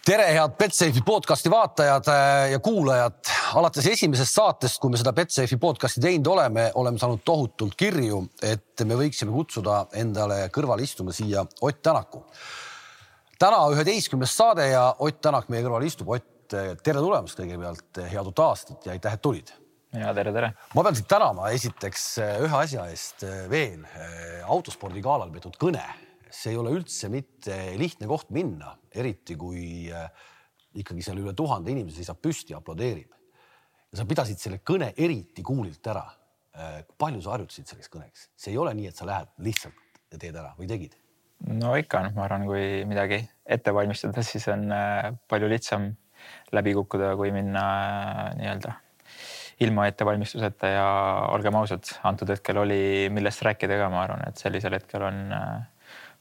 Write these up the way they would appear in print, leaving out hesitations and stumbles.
Tere, head Betsafe'i podcasti vaatajad ja kuulajad. Alates esimesest saatest, kui me seda Betsafe'i podcasti teinud oleme saanud tohutult kirju, et me võiksime kutsuda endale kõrval istuma siia Ott Tänaku. Täna 11. saade ja Ott Tänak meie kõrval istub. Ott, tere tulemast kõigepealt, head uut aastat ja aitäh, et tulid. Ja tere. Ma pean siit tänama esiteks ühe asja eest veel. Autospordi galal peetud kõne. See ei ole üldse mitte lihtne koht minna, eriti kui ikkagi seal üle 1000 inimesi seisab püsti ja aplodeerib. Ja sa pidasid selle kõne eriti kuulilt ära. Palju sa harjutasid selleks kõneks? See ei ole nii, et sa lähed lihtsalt ja teed ära või tegid? No ikka, ma arvan, kui midagi ette valmistada, siis on palju lihtsam läbi kukkuda, kui minna nii-öelda ilma ettevalmistuseta ja olgem ausad, antud hetkel oli millest rääkida ka, ma arvan, et sellisel hetkel on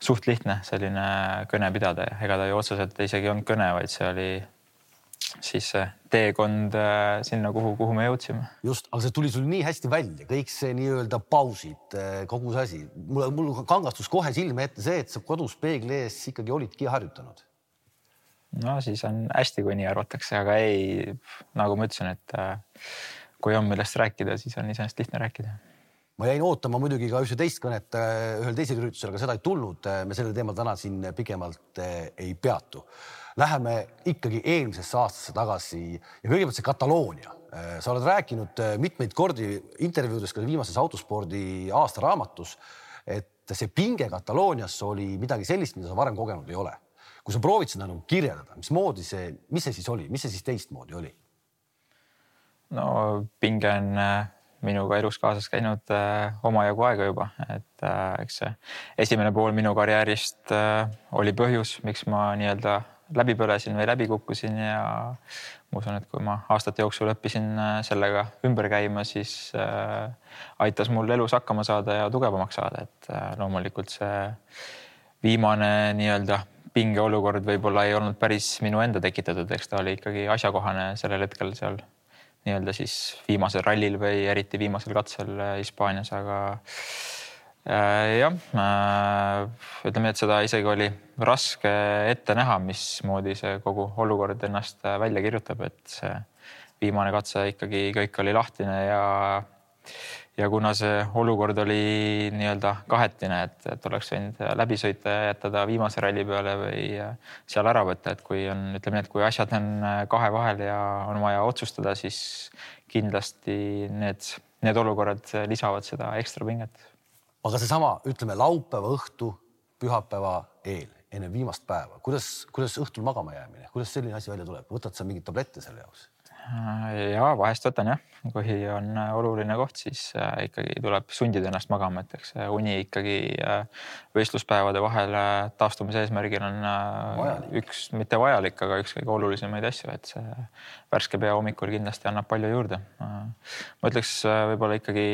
suht lihtne selline kõne pidada ja ega ta ju otseselt isegi on kõne, vaid see oli siis teekond sinna, kuhu me jõudsime. Just, aga see tuli sul nii hästi välja, kõik see nii-öelda pausid, kogu see asi. Mul kangastus kohe silme ette see, et sa kodus peegli ees ikkagi olidki harjutanud. No siis on hästi, kui nii arvatakse, aga ei, nagu ma ütlesin, et kui on millest rääkida, siis on iseenesest lihtne rääkida. Ma jäin ootama muidugi ka ühe teist kõnet ühel teisel üritusel, aga seda ei tulnud. Me selle teemal täna siin pikemalt ei peatu. Läheme ikkagi eelmisesse aastasse tagasi ja kõigepealt see Kataloonia. Sa oled rääkinud mitmeid kordi intervjuudes ka viimases autospordi aastaraamatus, et see pinge Kataloonias oli midagi sellist, mida sa varem kogenud ei ole. Kui sa proovid seda kirjeldada, mis see siis oli? Mis see siis teistmoodi oli? No pinge on minuga elus kaasas käinud omajagu aega juba, et eks see esimene pool minu karjäärist oli põhjus, miks ma nii-öelda läbi põlesin või läbi kukkusin ja ma usun, et kui ma aastate jooksul õppisin sellega ümber käima, siis aitas mul elus hakkama saada ja tugevamaks saada, et loomulikult see viimane nii-öelda pinge olukord võib-olla ei olnud päris minu enda tekitatud, eks ta oli ikkagi asjakohane sellel hetkel seal nii-öelda siis viimasel rallil või eriti viimasel katsel Hispaanias, aga ütleme, et seda isegi oli raske ette näha, mismoodi see kogu olukord ennast välja kirjutab, et see viimane katse ikkagi kõik oli lahtine ja kuna see olukord oli nii-öelda kahetine, et oleks võinud läbi sõita ja jätada viimase ralli peale või seal ära võtta, et kui on, ütleme, et kui asjad on kahe vahel ja on vaja otsustada, siis kindlasti need olukorrad lisavad seda ekstra pinget. Aga seesama, ütleme, laupäeva õhtu, pühapäeva eel, enne viimast päeva, kuidas õhtul magama jäämine, kuidas selline asi välja tuleb? Võtad sa mingit tablette selle jaoks? Ja vahest võtan jah, kui on oluline koht, siis ikkagi tuleb sundida ennast magama, et eks uni ikkagi võistluspäevade vahel taastumise eesmärgil on üks, mitte vajalik, aga üks kõige olulisemaid asju, et see värske pea hommikul kindlasti annab palju juurde. Ma ütleks võib-olla ikkagi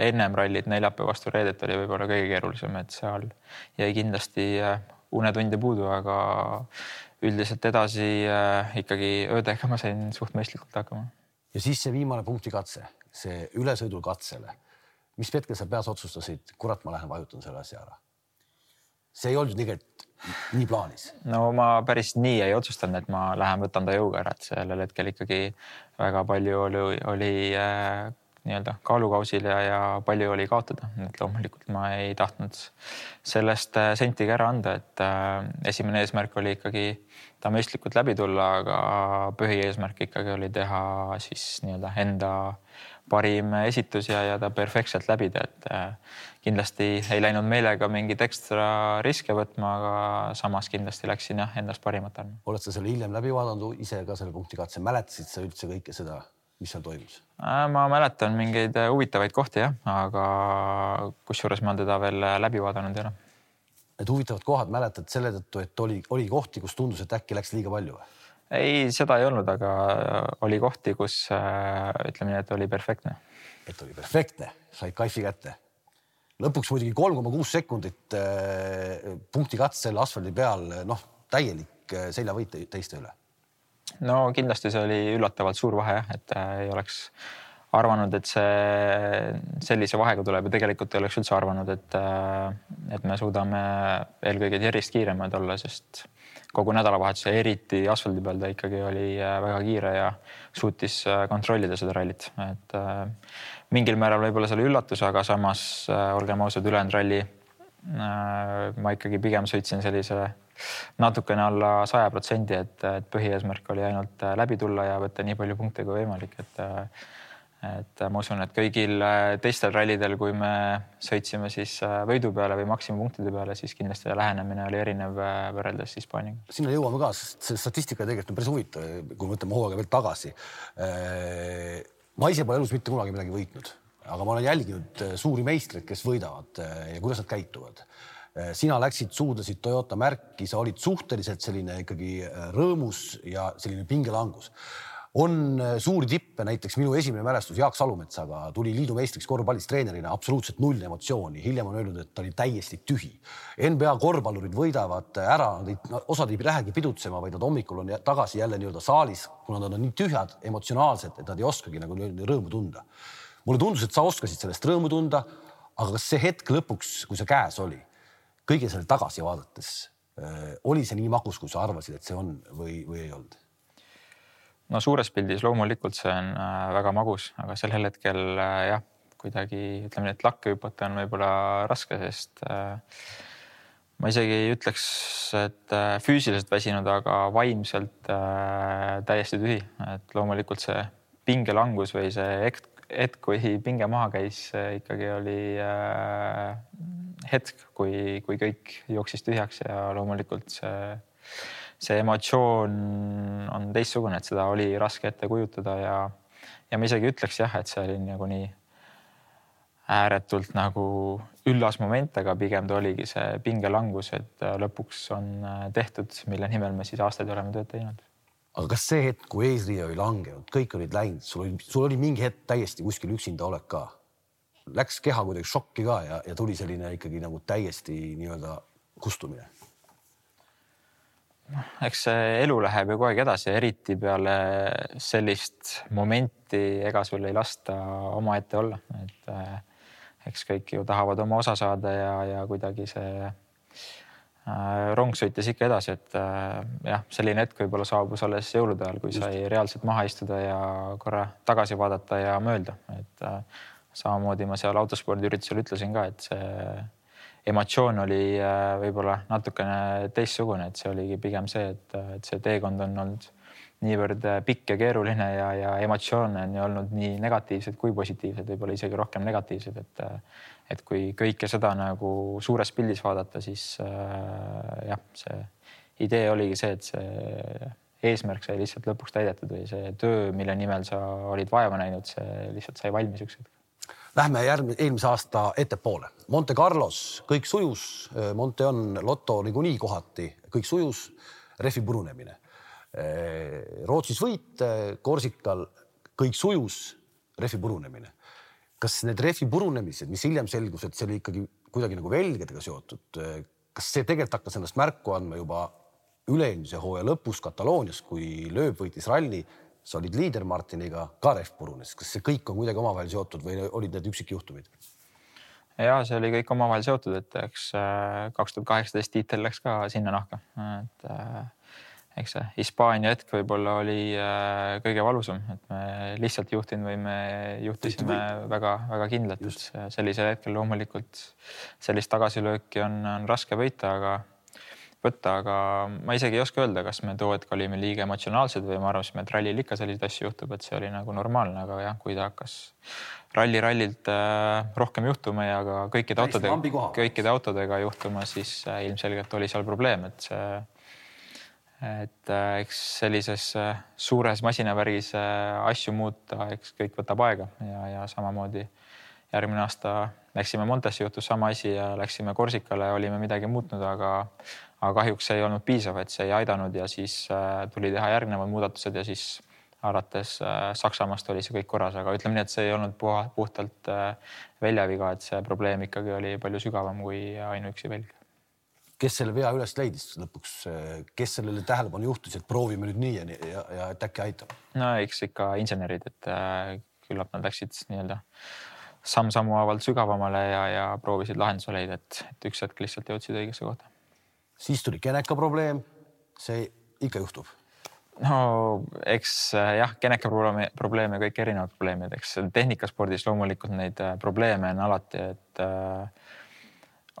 ennem rallit neljapäeva vastu reedet oli võib-olla kõige keerulisem, et seal jäi kindlasti unetunde puudu, aga üldiselt edasi ikkagi öödega ma sain suht mõistlikult hakkama. Ja siis see viimane punktikatse, see ülesõidul katsele. Mis hetkel sa peas otsustasid, kurat, ma lähen vajutan selle asja ära? See ei olnud tegelikult nii plaanis. No ma päris nii ei otsustanud, et ma lähen võtan ta jõuga ära, et sellel hetkel ikkagi väga palju oli nii-öelda kaalukausil ja palju oli kaotada. Et loomulikult ma ei tahtnud sellest sentigi ära anda, et esimene eesmärk oli ikkagi ta mõistlikult läbi tulla, aga põhieesmärk ikkagi oli teha siis nii-öelda enda parim esitus ja ta perfektselt läbida, et kindlasti ei läinud meelega mingit ekstra riske võtma, aga samas kindlasti läksin endast parimat andma. Oled sa selle hiljem läbi vaadanud ise ka selle punktikatse? Mäletasid sa üldse kõike seda, mis seal toimus? Ma mäletan mingeid huvitavaid kohti, aga kusjuures ma teda veel läbi vaadanud ei ole. Need huvitavad kohad mäletad selle tõttu, et oli kohti, kus tundus, et äkki läks liiga palju? Ei, seda ei olnud, aga oli kohti, kus ütleme nii, et oli perfektne. Et oli perfektne, said kaifi kätte. Lõpuks muidugi 3,6 sekundit punktikatsel asfaldi peal, täielik seljavõit teiste üle. No kindlasti see oli üllatavalt suur vahe, et ei oleks arvanud, et see sellise vahega tuleb ja tegelikult ei oleks üldse arvanud, et me suudame eelkõige järjest kiiremad olla, sest kogu nädalavahetuse, eriti asfaldi peal ta ikkagi oli väga kiire ja suutis kontrollida seda rallit. Et mingil määral võib-olla see oli üllatus, aga samas olgem ausad, ülejäänud ralli ma ikkagi pigem sõitsin sellise natukene alla 100%, et põhieesmärk oli ainult läbi tulla ja võtta nii palju punkte kui võimalik. Et ma usun, et kõigil teistel rallidel, kui me sõitsime siis võidu peale või maksimumpunktide peale, siis kindlasti lähenemine oli erinev võrreldes Hispaaniaga. Sinna jõuame ka, sest see statistika tegelikult on päris huvitav, kui võtame hooaega veel tagasi. Ma ise pole elus mitte kunagi midagi võitnud, aga ma olen jälginud suuri meistreid, kes võidavad ja kuidas nad käituvad. Sina läksid, suudlesid Toyota märki, sa olid suhteliselt selline ikkagi rõõmus ja selline pingelangus. On suuri tippe, näiteks minu esimene mälestus Jaak Salumetsaga tuli liidu meistriks korvpallis treenerina, absoluutselt null emotsiooni. Hiljem on öelnud, et ta oli täiesti tühi. NBA korvpallurid võidavad ära, osad ei lähegi pidutsema, vaid nad hommikul on tagasi jälle nii-öelda saalis, kuna nad on nii tühjad emotsionaalselt, et nad ei oskagi nagu rõõmu tunda. Mulle tundus, et sa oskasid sellest rõõmu tunda, aga kas see hetk lõpuks, kui see käes oli, kõige selle tagasi vaadates, oli see nii magus, kui sa arvasid, et see on või ei olnud? No suures pildis loomulikult see on väga magus, aga sellel hetkel jah, kuidagi ütleme, et lakke hüpata on võib-olla raske, sest ma isegi ei ütleks, et füüsiliselt väsinud, aga vaimselt täiesti tühi. Et loomulikult see pingelangus või see hetk, kui pinge maha käis, ikkagi oli hetk, kui kõik jooksis tühjaks ja loomulikult see emotsioon on teistsugune, et seda oli raske ette kujutada ja ma isegi ütleks jah, et see oli nagu nii ääretult nagu üllas moment, aga pigem ta oligi see pingelangus, et lõpuks on tehtud, mille nimel me siis aastaid oleme tööd teinud. Aga kas see hetk, kui eesriie oli langenud, kõik olid läinud, sul oli mingi hetk täiesti kuskil üksinda olek ka? Läks keha kuidagi šokki ka ja tuli selline ikkagi nagu täiesti nii-öelda kustumine? Eks see elu läheb ju kogu aeg edasi, eriti peale sellist momenti ega sul ei lasta oma ette olla. Et eks kõik ju tahavad oma osa saada ja kuidagi see rong sõitis ikka edasi, et jah, selline hetk võib-olla saabus alles jõulude ajal, kui sai reaalselt maha istuda ja korra tagasi vaadata ja mõelda. Et samamoodi ma seal autospordiüritusel ütlesin ka, et see emotsioon oli võib-olla natukene teistsugune, et see oligi pigem see, et see teekond on olnud niivõrd pikk ja keeruline ja emotsioone on olnud nii negatiivsed kui positiivsed, võib-olla isegi rohkem negatiivsed, et kui kõike seda nagu suures pildis vaadata, siis jah, see idee oligi see, et see eesmärk sai lihtsalt lõpuks täidetud või see töö, mille nimel sa olid vaeva näinud, see lihtsalt sai valmis üks hetk. Lähme eelmise aasta ettepoole. Monte Carlos, kõik sujus, Monte on Lotto niikuinii kohati, kõik sujus, refi purunemine. Rootsis võit, Korsikal kõik sujus, refi purunemine. Kas need refi purunemised, mis hiljem selgus, et see oli ikkagi kuidagi nagu velgedega seotud, kas see tegelikult hakkas ennast märku andma juba üle-eelmise hooaja lõpus Kataloonias, kui Lööb võitis ralli, sa olid liider Martiniga, ka ref purunes. Kas see kõik on kuidagi omavahel seotud või olid need üksikjuhtumid? Ja see oli kõik omavahel seotud, et eks 2018 tiitel läks ka sinna nahka. Et eks see Hispaania hetk võib-olla oli kõige valusam, et me lihtsalt juhtinud või me juhtisime väga kindlalt, et sellisel hetkel loomulikult sellist tagasilööki on raske võtta, aga ma isegi ei oska öelda, kas me too hetk olime liiga emotsionaalsed või ma arvasin, et rallil ikka selliseid asju juhtub, et see oli nagu normaalne, aga jah, kui ta hakkas rallilt rohkem juhtuma ja ka kõikide autodega juhtuma, siis ilmselgelt oli seal probleem, et eks sellises suures masinavärgis asju muuta, eks kõik võtab aega ja samamoodi järgmine aasta läksime Montesse, juhtus sama asi ja läksime Korsikale, olime midagi muutnud, aga kahjuks see ei olnud piisav, et see ei aidanud ja siis tuli teha järgnevad muudatused ja siis alates Saksamaast oli see kõik korras, aga ütleme nii, et see ei olnud puhtalt väljaviga, et see probleem ikkagi oli palju sügavam kui ainuüksi välg. Kes selle vea üles leidis lõpuks, kes sellele tähelepanu juhtus, et proovime nüüd nii ja et äkki aitab? No eks ikka insenerid, et küllap nad läksid nii-öelda samm-sammu haavalt sügavamale ja proovisid lahenduse leida, et üks hetk lihtsalt jõudsid õigesse kohta. Siis tuli Geneka probleem, see ikka juhtub. No eks jah, geneka probleeme, kõik erinevad probleemid, eks tehnikaspordis loomulikult neid probleeme on alati, et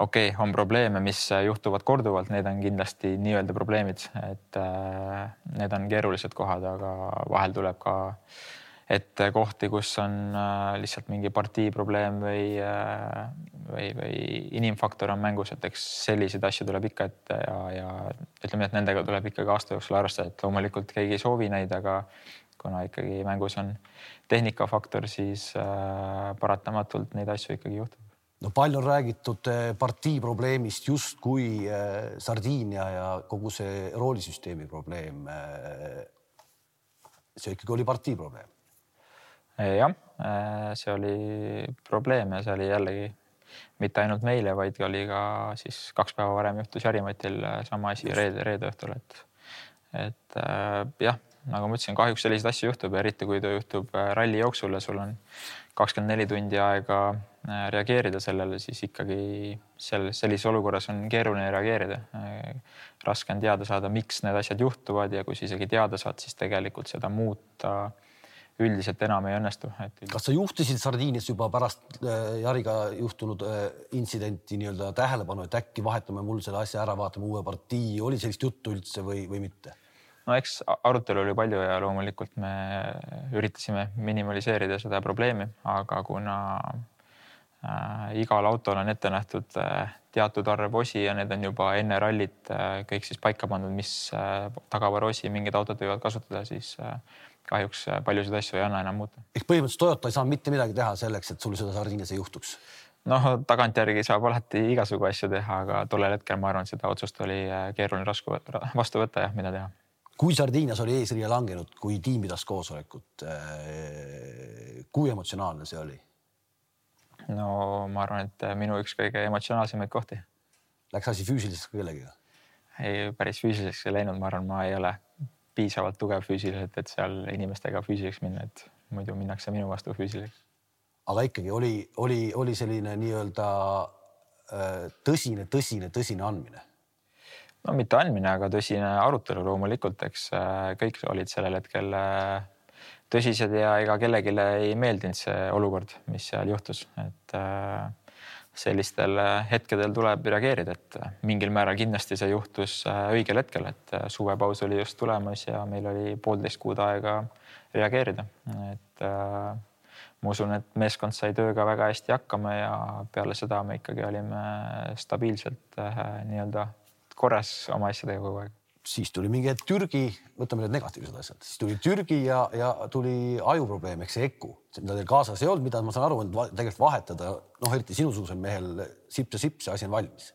okei, on probleeme, mis juhtuvad korduvalt, need on kindlasti nii-öelda probleemid, et need on keerulised kohad, aga vahel tuleb ka ette kohti, kus on lihtsalt mingi partii probleem või inimfaktor on mängus, et eks selliseid asju tuleb ikka ette ja ütleme, et nendega tuleb ikkagi aasta jooksul arvestada, et loomulikult keegi ei soovi neid, aga kuna ikkagi mängus on tehnikafaktor, siis paratamatult neid asju ikkagi juhtub. No palju on räägitud partii probleemist justkui Sardiinia ja kogu see roolisüsteemi probleem. See ikkagi oli partii probleem. Jah, see oli probleem ja see oli jällegi mitte ainult meile, vaid oli ka siis 2 päeva varem juhtus Jarimatil sama asi reede õhtul, et jah, nagu ma ütlesin, kahjuks selliseid asju juhtub, eriti kui ta juhtub ralli jooksul ja sul on 24 tundi aega reageerida sellele, siis ikkagi sellises olukorras on keeruline reageerida. Raske on teada saada, miks need asjad juhtuvad ja kui isegi teada saad, siis tegelikult seda muuta üldiselt enam ei õnnestu. Kas sa juhtisid Sardiinias juba pärast Jariga juhtunud intsidenti nii-öelda tähelepanu, et äkki vahetame mul selle asja ära, vaatame uue partii, oli sellist juttu üldse või mitte? No eks arutelu oli palju ja loomulikult me üritasime minimaliseerida seda probleemi, aga kuna igal autol on ette nähtud teatud arv osi ja need on juba enne rallit kõik siis paika pandud, mis tagavarosi mingid autod võivad kasutada, siis kahjuks paljusid asju ei anna enam muuta. Ehk põhimõtteliselt Toyota ei saa mitte midagi teha selleks, et sul seda Sardiinias ei juhtuks? Noh, tagantjärgi saab alati igasugu asju teha, aga tollel hetkel ma arvan, et seda otsust oli keeruline vastu võtta ja mida teha. Kui Sardiinias oli eesriia langenud, kui tiim pidas koosolekut, kui emotsionaalne see oli? No ma arvan, et minu üks kõige emotsionaalsemaid kohti. Läks asi füüsiliseks kellegiga? Ei, päris füüsiliseks ei läinud, ma arvan, ma ei ole piisavalt tugev füüsiliselt, et seal inimestega füüsiliseks minna, et muidu minnakse minu vastu füüsiliseks. Aga ikkagi oli selline nii-öelda tõsine andmine? No mitte andmine, aga tõsine arutelu loomulikult, eks kõik olid sellel hetkel tõsised ja ega kellelegi ei meeldinud see olukord, mis seal juhtus, et sellistel hetkedel tuleb reageerida, et mingil määral kindlasti see juhtus õigel hetkel, et suvepaus oli just tulemas ja meil oli 1,5 kuud aega reageerida, et ma usun, et meeskond sai tööga väga hästi hakkama ja peale seda me ikkagi olime stabiilselt nii-öelda korras oma asjadega kogu aeg. Siis tuli mingi Türgi, võtame need negatiivsed asjad, siis tuli Türgi ja tuli ajuprobleem, eks see EKU, mida teil kaasas ei olnud, mida ma saan aru, et tegelikult vahetada, eriti sinusugusel mehel sips ja sips, see asi on valmis.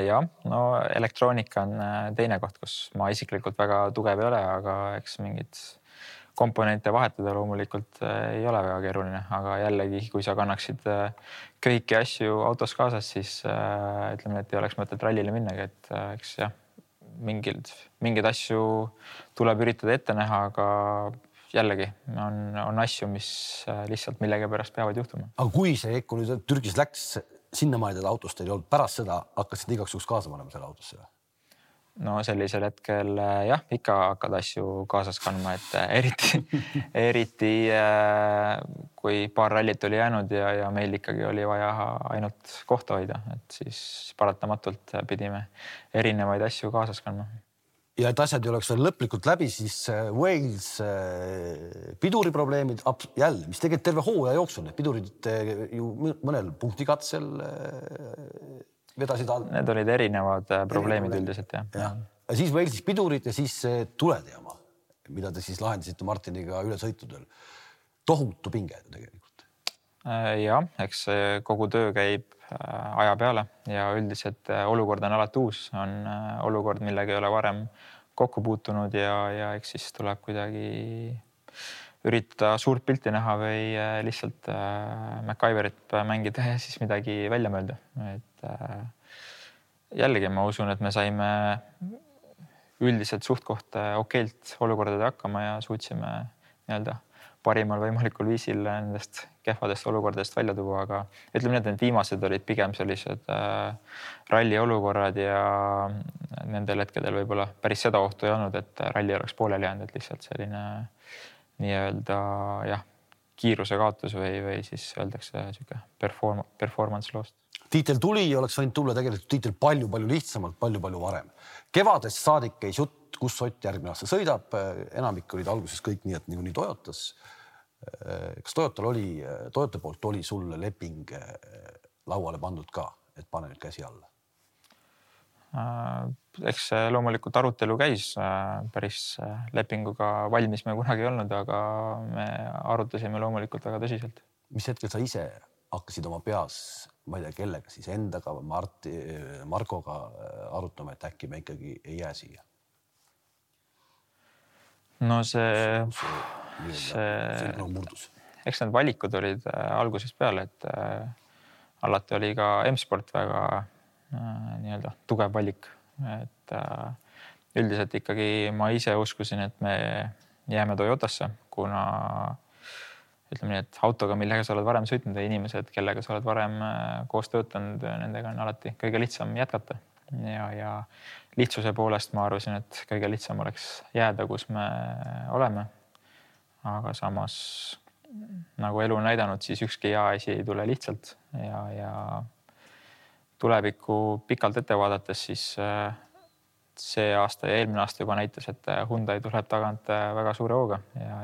Ja, no elektroonika on teine koht, kus ma isiklikult väga tugev ei ole, aga eks mingid komponente vahetada loomulikult ei ole väga keeruline, aga jällegi, kui sa kannaksid kõiki asju autos kaasas, siis ütleme, et ei oleks mõtet rallile minnagi, et eks jah, mingid asju tuleb üritada ette näha, aga jällegi on asju, mis lihtsalt millegi pärast peavad juhtuma. Aga kui see EKU nüüd Türgis läks sinnamaani, et autost ei olnud, pärast seda hakkasid igaks juhuks kaasa panema selle autosse? No sellisel hetkel jah, ikka hakkad asju kaasas kandma, et eriti kui paar rallit oli jäänud ja meil ikkagi oli vaja ainult kohta hoida, et siis paratamatult pidime erinevaid asju kaasas kandma. Ja et asjad ei oleks veel lõplikult läbi, siis Wales piduriprobleemid jälle, mis tegelikult terve hooaja jooksul, need pidurid ju mõnel punktikatsel vedasid all. Need olid erinevad probleemid üldiselt, jah. Ja siis Walesis pidurid ja siis tuleteama, mida te siis lahendasite Martiniga üle sõitudel. Tohutu pinge tegelikult. Ja, eks kogu töö käib aja peale ja üldiselt olukord on alati uus. On olukord, millega ei ole varem kokku puutunud ja eks siis tuleb kuidagi üritada suurt pilti näha või lihtsalt MacGyverit mängida ja siis midagi välja mõelda. Et jällegi ma usun, et me saime üldiselt suht kohta okeilt olukordade hakkama ja suutsime nii-öelda parimal võimalikul viisil nendest kehvadest olukordadest välja tuua, aga ütleme nii, et need viimased olid pigem sellised ralli olukorrad ja nendel hetkedel võib-olla päris seda ohtu ei olnud, et ralli oleks pooleli jäänud, et lihtsalt selline nii-öelda jah, kiiruse kaotus või siis öeldakse siuke performance lost. Tiitel tuli ja oleks võinud tulla tegelikult tiitel palju-palju lihtsamalt, palju-palju varem. Kevadest saadik käis jutt, kus Ott järgmine aasta sõidab. Enamik olid alguses kõik nii, et nii Toyotas. Kas Toyota poolt oli sulle leping lauale pandud ka, et pane nüüd käsi alla? Eks loomulikult arutelu käis, päris lepinguga valmis me kunagi ei olnud, aga me arutasime loomulikult väga tõsiselt. Mis hetkel sa ise hakkasid oma peas, ma ei tea kellega, siis endaga, Markoga arutama, et äkki me ikkagi ei jää siia? No see murdus. Eks need valikud olid algusest peale, et alati oli ka M-Sport väga nii-öelda tugev valik, et üldiselt ikkagi ma ise uskusin, et me jääme Toyotasse, kuna ütleme nii, et autoga, millega sa oled varem sõitnud ja inimesed, kellega sa oled varem koos töötanud, nendega on alati kõige lihtsam jätkata ja lihtsuse poolest ma arvasin, et kõige lihtsam oleks jääda, kus me oleme. Aga samas nagu elu on näidanud, siis ükski hea asi ei tule lihtsalt ja tulevikku pikalt ette vaadates, siis see aasta ja eelmine aasta juba näitas, et Hyundai tuleb tagant väga suure hooga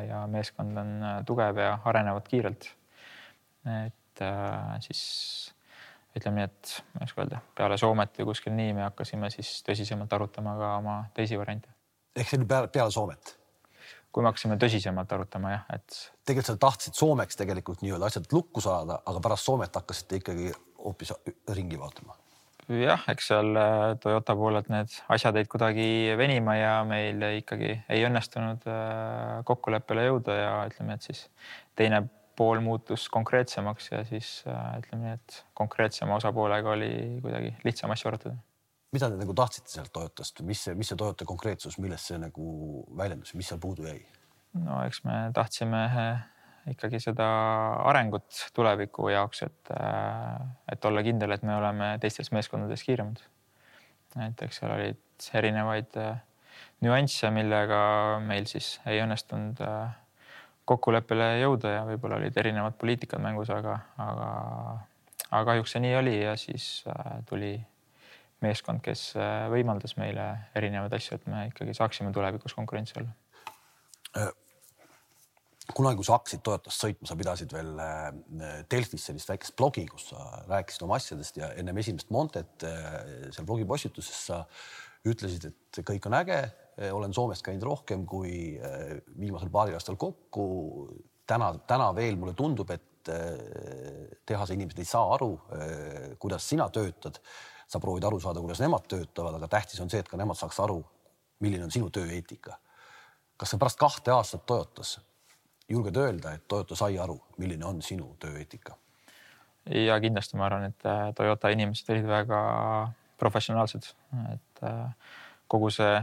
ja meeskond on tugev ja arenevad kiirelt. Et siis ütleme nii, et ma ei öelda, peale Soomet või kuskil nii me hakkasime siis tõsisemalt arutama ka oma teisi variante. Ehk see oli peale Soomet? Kui me hakkasime tõsisemalt arutama, jah, et tegelikult sa tahtsid Soomeks tegelikult nii-öelda asjad lukku saada, aga pärast Soomet hakkasite ikkagi hoopis ringi vaatama. Jah, eks seal Toyota poolelt need asjad jäid kuidagi venima ja meil ikkagi ei õnnestunud kokkuleppele jõuda ja ütleme, et siis teine pool muutus konkreetsemaks ja siis ütleme nii, et konkreetsema osapoolega oli kuidagi lihtsam asju arutada. Mida te nagu tahtsite sealt Toyotast? Mis see Toyota konkreetsus, millest see nagu väljendus, mis seal puudu jäi? No eks me tahtsime ikkagi seda arengut tuleviku jaoks, et olla kindel, et me oleme teistes meeskondades kiiremad. Et eks seal olid erinevaid nüansse, millega meil siis ei õnnestunud kokkuleppele jõuda ja võib-olla olid erinevad poliitikad mängus, aga kahjuks see nii oli ja siis tuli meeskond, kes võimaldas meile erinevaid asju, et me ikkagi saaksime tulevikus konkurentsi olla. Kunagi, kui sa hakkasid Toyotast sõitma, sa pidasid veel Delfis sellist väikest blogi, kus sa rääkisid oma asjadest ja ennem esimest Montet seal blogipostituses sa ütlesid, et kõik on äge, olen Soomest käinud rohkem kui viimasel paaril aastal kokku. Täna veel mulle tundub, et tehase inimesed ei saa aru, kuidas sina töötad. Sa proovid aru saada, kuidas nemad töötavad, aga tähtis on see, et ka nemad saaks aru, milline on sinu tööeetika. Kas sa pärast 2 aastat Toyotas julged öelda, et Toyota sai aru, milline on sinu tööeetika? Ja kindlasti ma arvan, et Toyota inimesed olid väga professionaalsed, et kogu see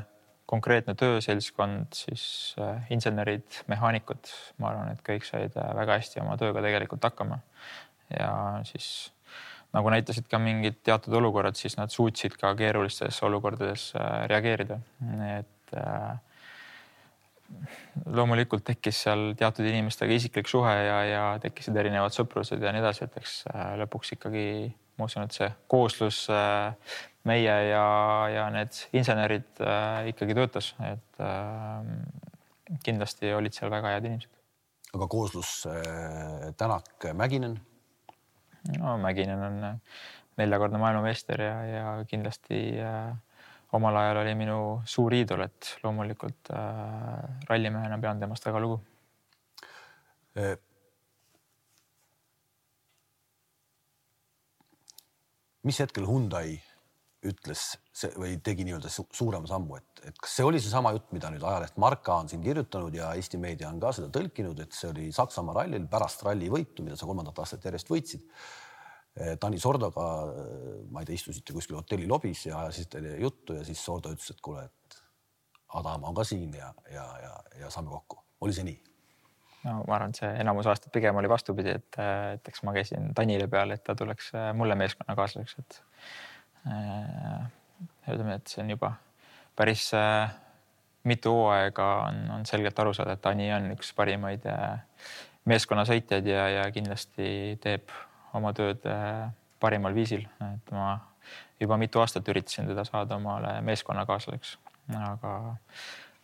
konkreetne tööselskond, siis insenerid, mehaanikud, ma arvan, et kõik said väga hästi oma tööga tegelikult hakkama ja siis nagu näitasid ka mingid teatud olukorrad, siis nad suutsid ka keerulistes olukordades reageerida, et loomulikult tekkis seal teatud inimestega isiklik suhe ja tekkisid erinevad sõprused ja nii edasi, et eks lõpuks ikkagi ma usun, et see kooslus meie ja need insenerid ikkagi töötas, et kindlasti olid seal väga head inimesed. Aga kooslus Tänak Mäkinen? No Mäkinen on 4-kordne maailmameister ja kindlasti omal ajal oli minu suur iidol, et loomulikult rallimehena pean temast väga lugu. Mis hetkel Hyundai ütles või tegi nii-öelda suurema sammu, et kas see oli see sama jutt, mida nüüd ajaleht Marka on siin kirjutanud ja Eesti meedia on ka seda tõlkinud, et see oli Saksamaa rallil pärast ralli võitu, mida sa 3. aastat järjest võitsid. Tani Sordoga, ma ei tea, istusite kuskil hotelli lobis ja ajasite juttu ja siis Sordo ütles, et kuule, et Adam on ka siin ja saame kokku. Oli see nii? No, ma arvan, et see enamus aastat pigem oli vastupidi, et eks ma käisin Tanile peale, et ta tuleks mulle meeskonna kaaslaseks, et ütleme, et see on juba päris mitu hooaega on selgelt aru saada, et Ani on üks parimaid meeskonnasõitjaid ja kindlasti teeb oma tööd parimal viisil. Et ma juba mitu aastat üritasin teda saada omale meeskonnakaaslaseks, aga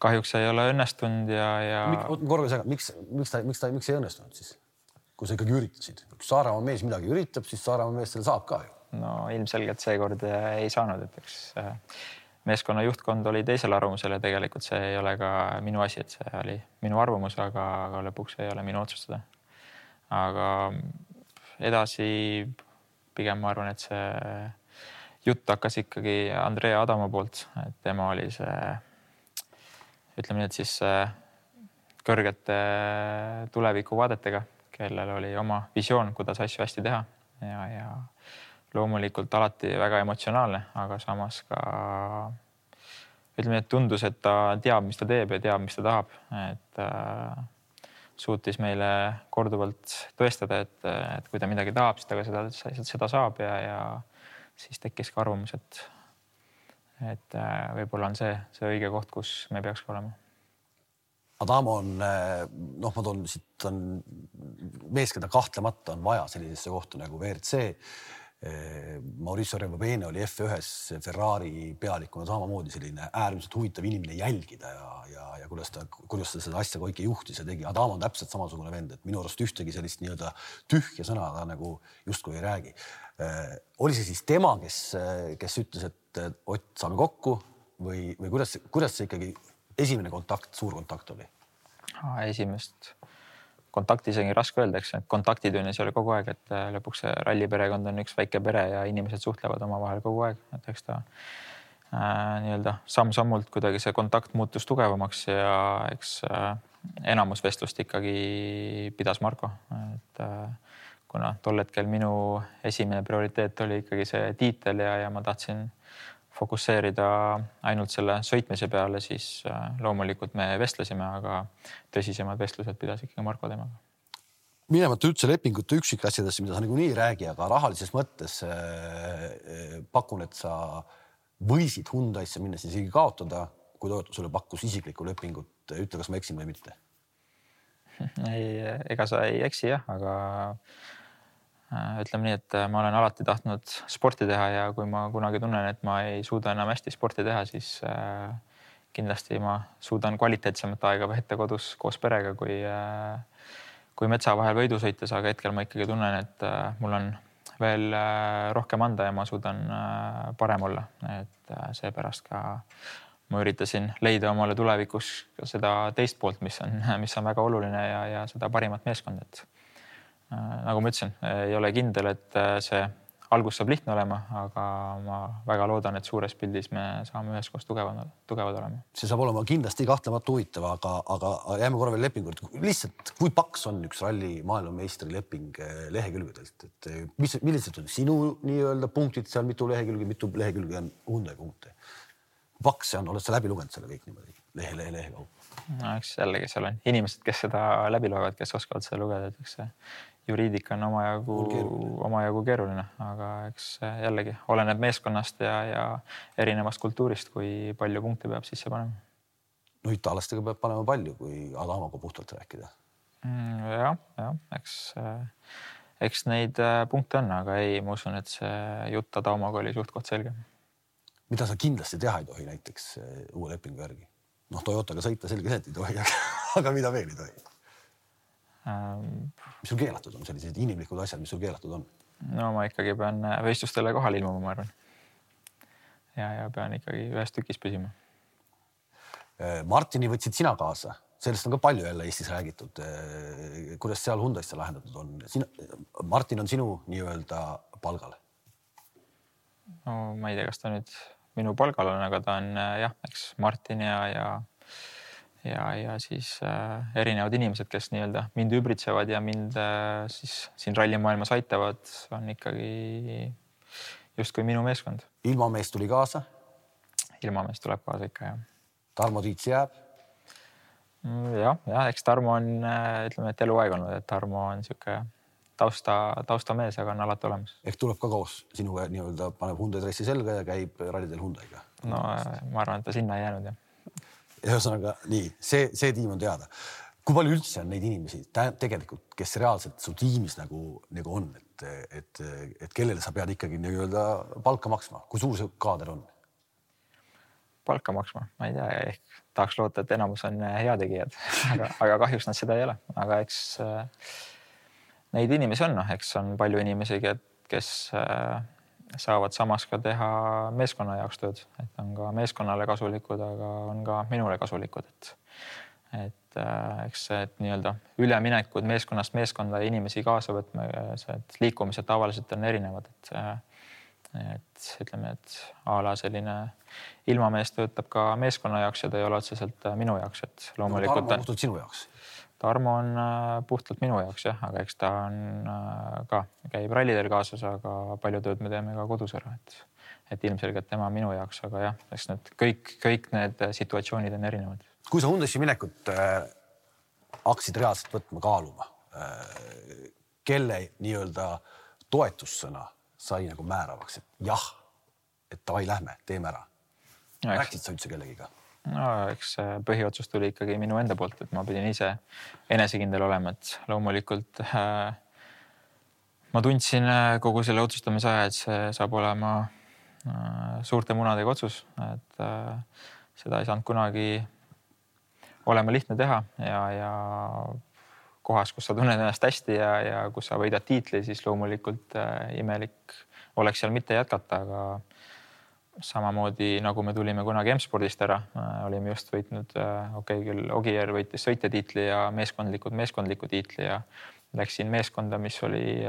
kahjuks ei ole õnnestunud ja... Miks ei õnnestunud siis? Kui sa ikkagi üritasid. Kui Saaremaa mees midagi üritab, siis Saaremaa mees selle saab ka ju. No ilmselgelt seekord ei saanud, et eks meeskonna juhtkond oli teisel arvamusel ja tegelikult see ei ole ka minu asi, et see oli minu arvamus, aga lõpuks ei ole minu otsustada. Aga edasi pigem ma arvan, et see jutt hakkas ikkagi Andrea Adamo poolt, et tema oli see, ütleme nii, et siis kõrgete tulevikuvaadetega, kellel oli oma visioon, kuidas asju hästi teha ja loomulikult alati väga emotsionaalne, aga samas ka ütleme, et tundus, et ta teab, mis ta teeb ja teab, mis ta tahab. Et suutis meile korduvalt tõestada, et kui ta midagi tahab, siis ta ka seda saab ja siis tekkis ka arvamus, et võib-olla on see õige koht, kus me peaks ka olema. Adamo on, ma toon siit on mees, keda kahtlemata on vaja sellisesse kohta nagu WRC. Mauricio Rebobene oli F1 Ferrari pealikuna samamoodi selline äärmiselt huvitav inimene jälgida ja kuidas ta seda asja kõike juhtis ja tegi. Adamo on täpselt samasugune vend, et minu arust ühtegi sellist nii-öelda tühja sõna ta nagu justkui ei räägi. Oli see siis tema, kes ütles, et Ott, saame kokku või kuidas see ikkagi esimene kontakt, suur kontakt oli? Esimest kontakti isegi raske öelda, eks kontaktitünnis oli kogu aeg, et lõpuks see ralliperekond on üks väike pere ja inimesed suhtlevad omavahel kogu aeg. Et eks ta nii-öelda samm-sammult kuidagi see kontakt muutus tugevamaks ja eks enamus vestlust ikkagi pidas Marko. Et kuna tol hetkel minu esimene prioriteet oli ikkagi see tiitel ja ma tahtsin fokusseerida ainult selle sõitmise peale, siis loomulikult me vestlesime, aga tõsisemad vestlused pidas ikkagi Marko temaga. Minemata üldse lepingute üksikasjadesse, mida sa nagu nii ei räägi, aga rahalises mõttes pakun, et sa võisid Hyundai'sse minna siis isegi kaotada, kui Toyota sulle pakkus isiklikku lepingut. Ütle, kas ma eksin või mitte? Ega sa ei eksi jah, aga ütleme nii, et ma olen alati tahtnud sporti teha ja kui ma kunagi tunnen, et ma ei suuda enam hästi sporti teha, siis kindlasti ma suudan kvaliteetsemat aega veeta kodus koos perega, kui metsa vahel võidu sõites, aga hetkel ma ikkagi tunnen, et mul on veel rohkem anda ja ma suudan parem olla. Et seepärast ka ma üritasin leida omale tulevikus seda teist poolt, mis on väga oluline ja seda parimat meeskond, et nagu ma ütlesin, ei ole kindel, et see algus saab lihtne olema, aga ma väga loodan, et suures pildis me saame üheskoos tugevad olema. See saab olema kindlasti kahtlemata huvitav, aga jääme korra veel lepingut. Lihtsalt, kui paks on üks ralli maailmameistri leping lehekülgedelt? Et millised on sinu nii-öelda punktid seal, mitu lehekülge on Hyundai punkte? Paks see on, oled sa läbi lugenud selle kõik niimoodi lehe kaupa? No, eks jällegi seal on inimesed, kes seda läbi loevad, kes oskavad seda lugeda, et eks see juriidika on omajagu keeruline, aga eks jällegi oleneb meeskonnast ja erinevast kultuurist, kui palju punkte peab sisse panema. No itaallastega peab panema palju, kui Adamoga puhtalt rääkida. Ja, eks neid punkte on, aga ei, ma usun, et see jutt Adamoga oli suht-koht selge. Mida sa kindlasti teha ei tohi näiteks uue lepingu järgi? Toyotaga sõita selge see, et ei tohi, aga mida veel ei tohi? Mis sul keelatud on? Sellised inimlikud asjad, mis sul keelatud on? No ma ikkagi pean võistlustele kohal ilmuma, ma arvan. Ja pean ikkagi ühes tükis püsima. Martini võtsid sina kaasa. Sellest on ka palju jälle Eestis räägitud. Kuidas seal Hyundai'sse lahendatud on? Martin on sinu nii-öelda palgal? No ma ei tea, kas ta nüüd minu palgal on, aga ta on eks Martin ja siis erinevad inimesed, kes nii-öelda mind übritsevad ja mind siis siin rallimaailmas aitavad, on ikkagi justkui minu meeskond. Ilmamees tuli kaasa? Ilmamees tuleb kaasa ikka, jah. Tarmo Tiits jääb? Ja, eks Tarmo on, ütleme, et eluaeg olnud, et Tarmo on siuke taustamees, aga on alati olemas. Ehk tuleb ka koos sinuga nii-öelda paneb Hyundai dressi selga ja käib rallidel Hyundai'ga? no ma arvan, et ta sinna ei jäänud jah. Ühesõnaga nii, see tiim on teada. Kui palju üldse on neid inimesi tegelikult, kes reaalselt su tiimis nagu on, et kellele sa pead ikkagi nii-öelda palka maksma? Kui suur see kaader on? Palka maksma, ma ei tea, ehk tahaks loota, et enamus on heategijad, aga kahjuks nad seda ei ole. Aga eks neid inimesi on, eks on palju inimesi, kes saavad samas ka teha meeskonna jaoks tööd, et on ka meeskonnale kasulikud, aga on ka minule kasulikud, et eks see nii-öelda üleminekud meeskonnast meeskonda ja inimesi kaasa võtma, liikumised tavaliselt on erinevad, et ütleme, et a la selline ilmamees töötab ka meeskonna jaoks ja ta ei ole otseselt minu jaoks, et loomulikult Tarmo on puhtalt sinu jaoks. Tarmo on puhtalt minu jaoks jah, aga eks ta on ka käib rallidel kaasas, aga palju tööd me teeme ka kodus ära, et ilmselgelt tema minu jaoks, aga jah, eks need kõik need situatsioonid on erinevad. Kui sa Hyundai'sse minekut hakkasid reaalselt võtma kaaluma, kelle nii-öelda toetussõna sai nagu määravaks, et jah, et davai, lähme, teeme ära. Rääksid sa üldse kellegiga? No, eks põhiotsus tuli ikkagi minu enda poolt, et ma pidin ise enesekindel olema, et loomulikult ma tundsin kogu selle otsustamise aja, et see saab olema suurte munadega otsus, et seda ei saanud kunagi olema lihtne teha ja kohas, kus sa tunned ennast hästi ja kus sa võidad tiitli, siis loomulikult imelik oleks seal mitte jätkata, aga samamoodi nagu me tulime kunagi M-spordist ära, olime just võitnud, küll Ogier võitis sõitjatiitli ja meeskondliku tiitli ja läksin meeskonda, mis oli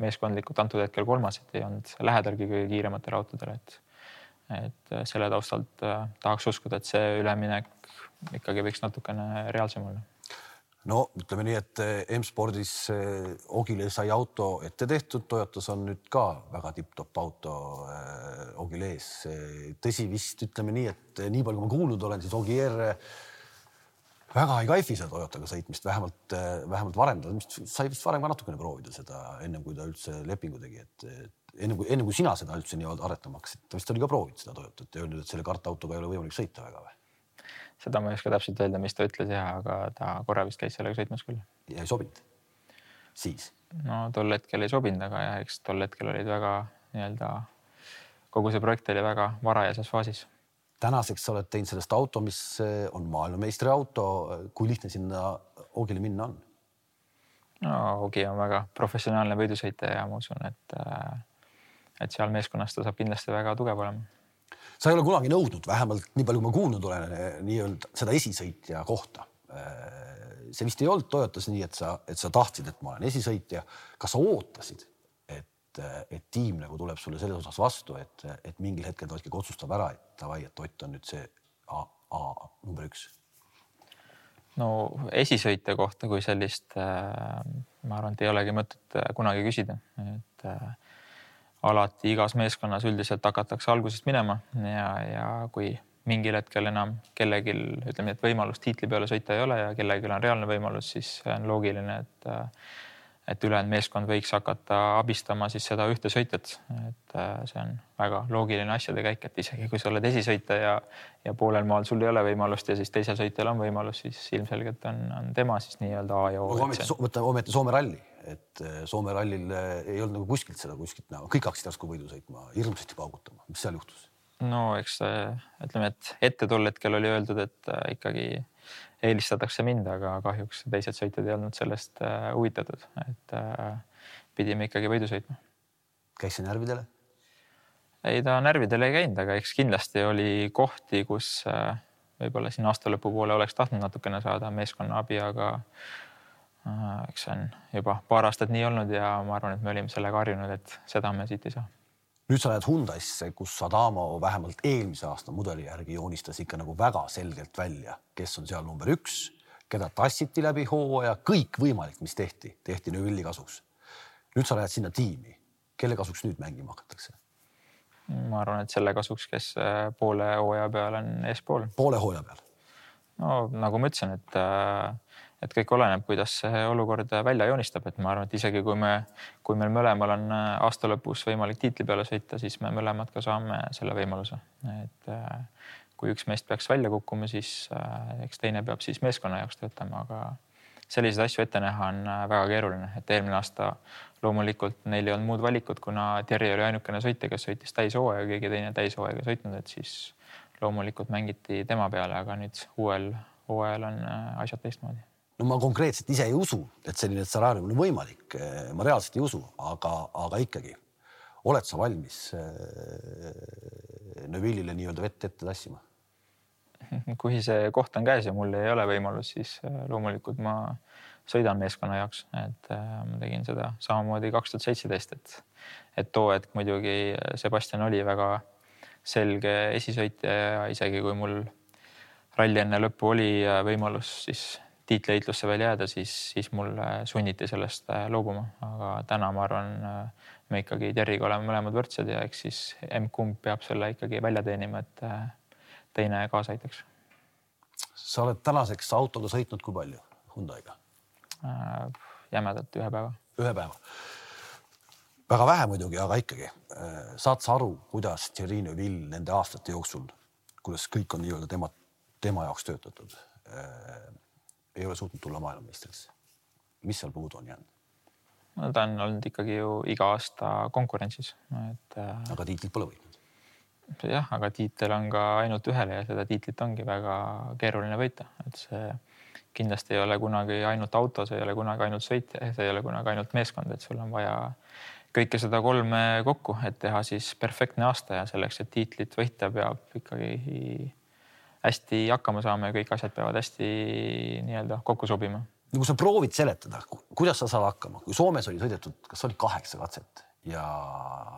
meeskondlikult antud hetkel kolmas, et ei olnud lähedalgi kõige kiirematele autodele, et selle taustalt tahaks uskuda, et see üleminek ikkagi võiks natukene reaalsem olla. No ütleme nii, et M-spordis Ogile sai auto ette tehtud, Toyotas on nüüd ka väga tipp-top auto Ogile ees. Tõsi vist ütleme nii, et nii palju kui ma kuulnud olen, siis Ogier väga ei kaifi seda Toyotaga sõitmist, vähemalt varem. Sai vist varem ka natukene proovida seda ennem, kui ta üldse lepingu tegi. Ennem kui sina seda üldse nii aretama hakkasid, ta vist oli ka proovinud seda Toyotat ja öelnud, et selle kartautoga ei ole võimalik sõita väga või? Seda ma ei oska täpselt öelda, mis ta ütles jah, aga ta korra vist käis sellega sõitmas küll. Ja ei sobinud? Siis? No tol hetkel ei sobinud, aga jah, eks tol hetkel olid väga nii-öelda, kogu see projekt oli väga varajases faasis. Tänaseks sa oled teinud sellest auto, mis on maailmameistri auto. Kui lihtne sinna Ogile minna on? No Ogi on väga professionaalne võidusõitja ja ma usun, et seal meeskonnast ta saab kindlasti väga tugev olema. Sa ei ole kunagi nõudnud, vähemalt nii palju kui ma kuulnud olen, nii-öelda seda esisõitja kohta. See vist ei olnud Toyotas nii, et sa tahtsid, et ma olen esisõitja. Kas sa ootasid, et tiim nagu tuleb sulle selles osas vastu, et mingil hetkel ta ikkagi otsustab ära, et davai, et Ott on nüüd see number 1? No esisõitja kohta kui sellist, ma arvan, et ei olegi mõtet kunagi küsida, et alati igas meeskonnas üldiselt hakatakse algusest minema ja kui mingil hetkel enam kellegil, ütleme, et võimalust tiitli peale sõita ei ole ja kellegil on reaalne võimalus, siis on loogiline, et ülejäänud meeskond võiks hakata abistama siis seda ühte sõitjat. Et see on väga loogiline asjade käik, et isegi kui sa oled esisõitja ja poolel maal sul ei ole võimalust ja siis teisel sõitjal on võimalus, siis ilmselgelt on tema siis nii-öelda A ja O. Ometi Soome ralli, et Soome rallil ei olnud nagu kuskilt näha. Kõik hakkasid järsku võidu sõitma, hirmsasti paugutama. Mis seal juhtus? No eks ütleme, et ette tol hetkel oli öeldud, et ikkagi eelistatakse mind, aga kahjuks teised sõitjad ei olnud sellest huvitatud, et pidime ikkagi võidu sõitma. Käis see närvidele? Ei, ta närvidele ei käinud, aga eks kindlasti oli kohti, kus võib-olla siin aasta lõpu poole oleks tahtnud natukene saada meeskonna abi, aga eks see on juba paar aastat nii olnud ja ma arvan, et me olime sellega harjunud, et seda me siit ei saa. Nüüd sa lähed Hyundai'sse, kus Adamo vähemalt eelmise aasta mudeli järgi joonistas ikka nagu väga selgelt välja, kes on seal number 1, keda tassiti läbi hooaja, kõik võimalik, mis tehti Neuvilli kasuks. Nüüd sa lähed sinna tiimi. Kelle kasuks nüüd mängima hakatakse? Ma arvan, et selle kasuks, kes poole hooaja peal on eespool. Poole hooaja peal? No nagu ma ütlesin, et kõik oleneb, kuidas see olukord välja joonistab, et ma arvan, et isegi kui meil mõlemal on aasta lõpus võimalik tiitli peale sõita, siis me mõlemad ka saame selle võimaluse. Et kui üks meest peaks välja kukkuma, siis eks teine peab siis meeskonna jaoks töötama, aga selliseid asju ette näha on väga keeruline, et eelmine aasta loomulikult neil ei olnud muud valikut, kuna Terri oli ainukene sõitja, kes sõitis täishooaega, keegi teine täishooaega sõitnud, et siis loomulikult mängiti tema peale, aga nüüd uuel hooajal on asjad teistmoodi. No ma konkreetselt ise ei usu, et selline stsenaarium on võimalik. Ma reaalselt ei usu, aga ikkagi. Oled sa valmis Neuvillile nii-öelda vett ette tassima? Kui see koht on käes ja mul ei ole võimalus, siis loomulikult ma sõidan meeskonna jaoks, et ma tegin seda samamoodi 2017, et too hetk muidugi Sebastian oli väga selge esisõitja ja isegi kui mul ralli enne lõppu oli võimalus siis tiitliheitlusse veel jääda, siis mul sunniti sellest loobuma, aga täna ma arvan, me ikkagi Terriga oleme mõlemad võrdsed ja eks siis M-kumb peab selle ikkagi välja teenima, et teine kaasa aitaks. Sa oled tänaseks autoga sõitnud kui palju Hyundai'ga? Jämedalt ühe päeva. Ühe päeva. Väga vähe muidugi, aga ikkagi. Saad sa aru, kuidas Thierry Neuville nende aastate jooksul, kuidas kõik on nii-öelda tema jaoks töötatud, ei ole suutnud tulla maailmameistriks? Mis seal puudu on jäänud? No, ta on olnud ikkagi ju iga aasta konkurentsis. Aga tiitlit pole võitnud. Jah, aga tiitel on ka ainult ühele ja seda tiitlit ongi väga keeruline võita. Et see kindlasti ei ole kunagi ainult auto, see ei ole kunagi ainult sõitja, see ei ole kunagi ainult meeskond, et sul on vaja kõike seda kolme kokku, et teha siis perfektne aasta ja selleks, et tiitlit võita, peab ikkagi hästi hakkama saama ja kõik asjad peavad hästi nii-öelda kokku sobima. No kui sa proovid seletada, kuidas sa saad hakkama? Kui Soomes oli sõidetud, kas oli 8 katset ja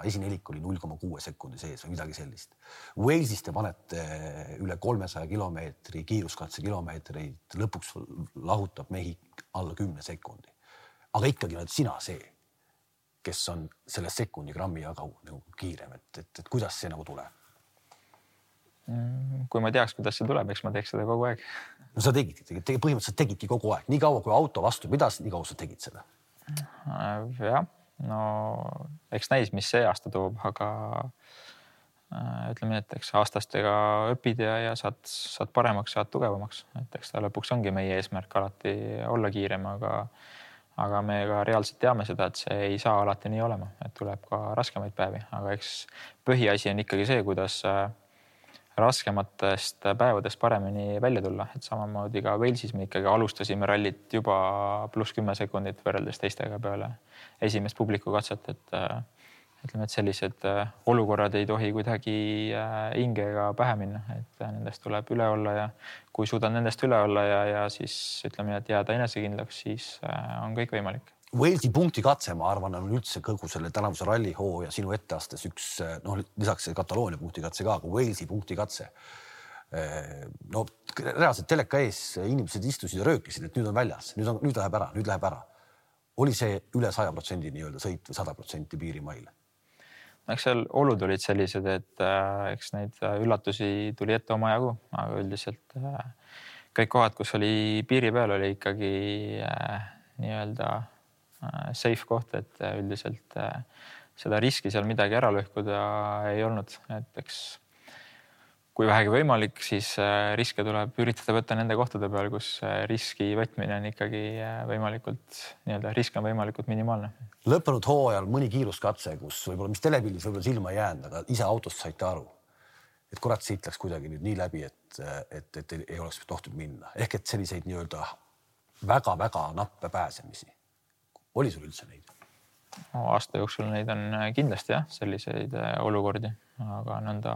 esinelik oli 0,6 sekundi sees või midagi sellist. Walesis te panete üle 300 kilomeetri, kiiruskatse kilomeetreid, lõpuks lahutab mehi alla 10 sekundi. Aga ikkagi oled sina see, kes on selle sekundi grammi jagu nagu kiirem, et kuidas see nagu tuleb? Kui ma teaks, kuidas see tuleb, eks ma teeks seda kogu aeg. No sa põhimõtteliselt tegidki kogu aeg. Nii kaua, kui auto vastu pidas, nii kaua sa tegid seda? Jah, no eks näis, mis see aasta toob, aga ütleme, et eks aastastega õpid ja saad paremaks, saad tugevamaks. Et eks ta lõpuks ongi meie eesmärk alati olla kiirem, aga me ka reaalselt teame seda, et see ei saa alati nii olema, et tuleb ka raskemaid päevi, aga eks põhiasi on ikkagi see, kuidas raskematest päevadest paremini välja tulla, et samamoodi ka Walesis me ikkagi alustasime rallit juba +10 sekundit võrreldes teistega peale esimest publiku katset, et ütleme, et sellised olukorrad ei tohi kuidagi hingega pähe minna, et nendest tuleb üle olla ja kui suudad nendest üle olla ja siis ütleme, et jääda enesekindlaks, siis on kõik võimalik. Walesi punkti katse, ma arvan, on üldse kõgu selle tänavuse rallihoo ja sinu etteastes üks, lisaks Kataloonia punkti katse ka, aga Walesi punkti katse. No reaalselt teleka ees inimesed istusid ja röökisid, et nüüd on väljas, nüüd läheb ära. Oli see üle 100% nii-öelda sõit või 100% piirimaile? Eks seal olud olid sellised, et eks neid üllatusi tuli ette oma jagu, aga üldiselt kõik kohad, kus oli piiri peal, oli ikkagi nii-öelda safe koht, et üldiselt seda riski seal midagi ära lõhkuda ei olnud. Et eks kui vähegi võimalik, siis riske tuleb üritada võtta nende kohtade peal, kus riski võtmine on ikkagi võimalikult, nii-öelda risk on võimalikult minimaalne. Lõppenud hooajal mõni kiiruskatse, kus võib-olla mis telepildis võib-olla silma ei jäänud, aga ise autost saite aru, et kurat siit läks kuidagi nüüd nii läbi, et ei oleks tohtud minna. Ehk et selliseid nii-öelda väga-väga nappe pääsemisi. Oli sul üldse neid? Aasta jooksul neid on kindlasti jah, selliseid olukordi, aga nõnda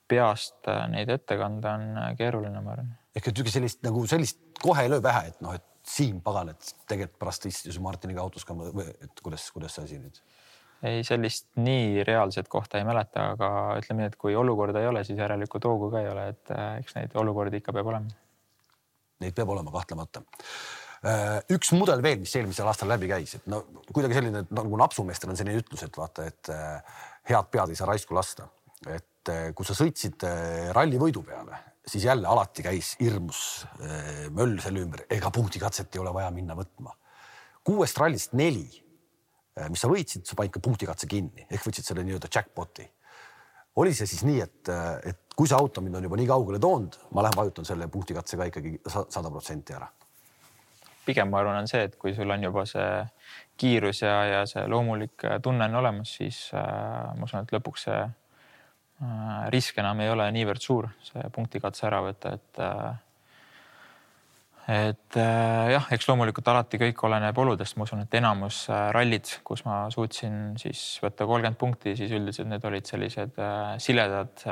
peast neid ette kanda on keeruline, ma arvan. Ehk et sellist kohe ei löö pähe, et et siin pagan, et tegelikult pärast istus Martiniga autos ka, et kuidas see asi nüüd? Ei, sellist nii reaalset kohta ei mäleta, aga ütleme nii, et kui olukorda ei ole, siis järelikult hoogu ka ei ole, et eks neid olukordi ikka peab olema. Neid peab olema kahtlemata. Üks mudel veel, mis eelmisel aastal läbi käis, et kuidagi selline, nagu napsumeestel on selline ütlus, et vaata, et head pead ei saa raisku lasta. Et kui sa sõitsid ralli võidu peale, siis jälle alati käis hirmus möll selle ümber, ega punktikatset ei ole vaja minna võtma. 6 rallist 4, mis sa võitsid, sa panid ka punktikatse kinni, ehk võtsid selle nii-öelda jackpoti. Oli see siis nii, et kui see auto mind on juba nii kaugele toonud, ma lähen vajutan selle punktikatsega ikkagi 100% ära? Pigem ma arvan on see, et kui sul on juba see kiirus ja see loomulik tunne on olemas, siis ma usun, et lõpuks see risk enam ei ole niivõrd suur, see punktikatse ära võtta, et jah, eks loomulikult alati kõik oleneb oludest. Ma usun, et enamus rallid, kus ma suutsin siis võtta 30 punkti, siis üldiselt need olid sellised siledad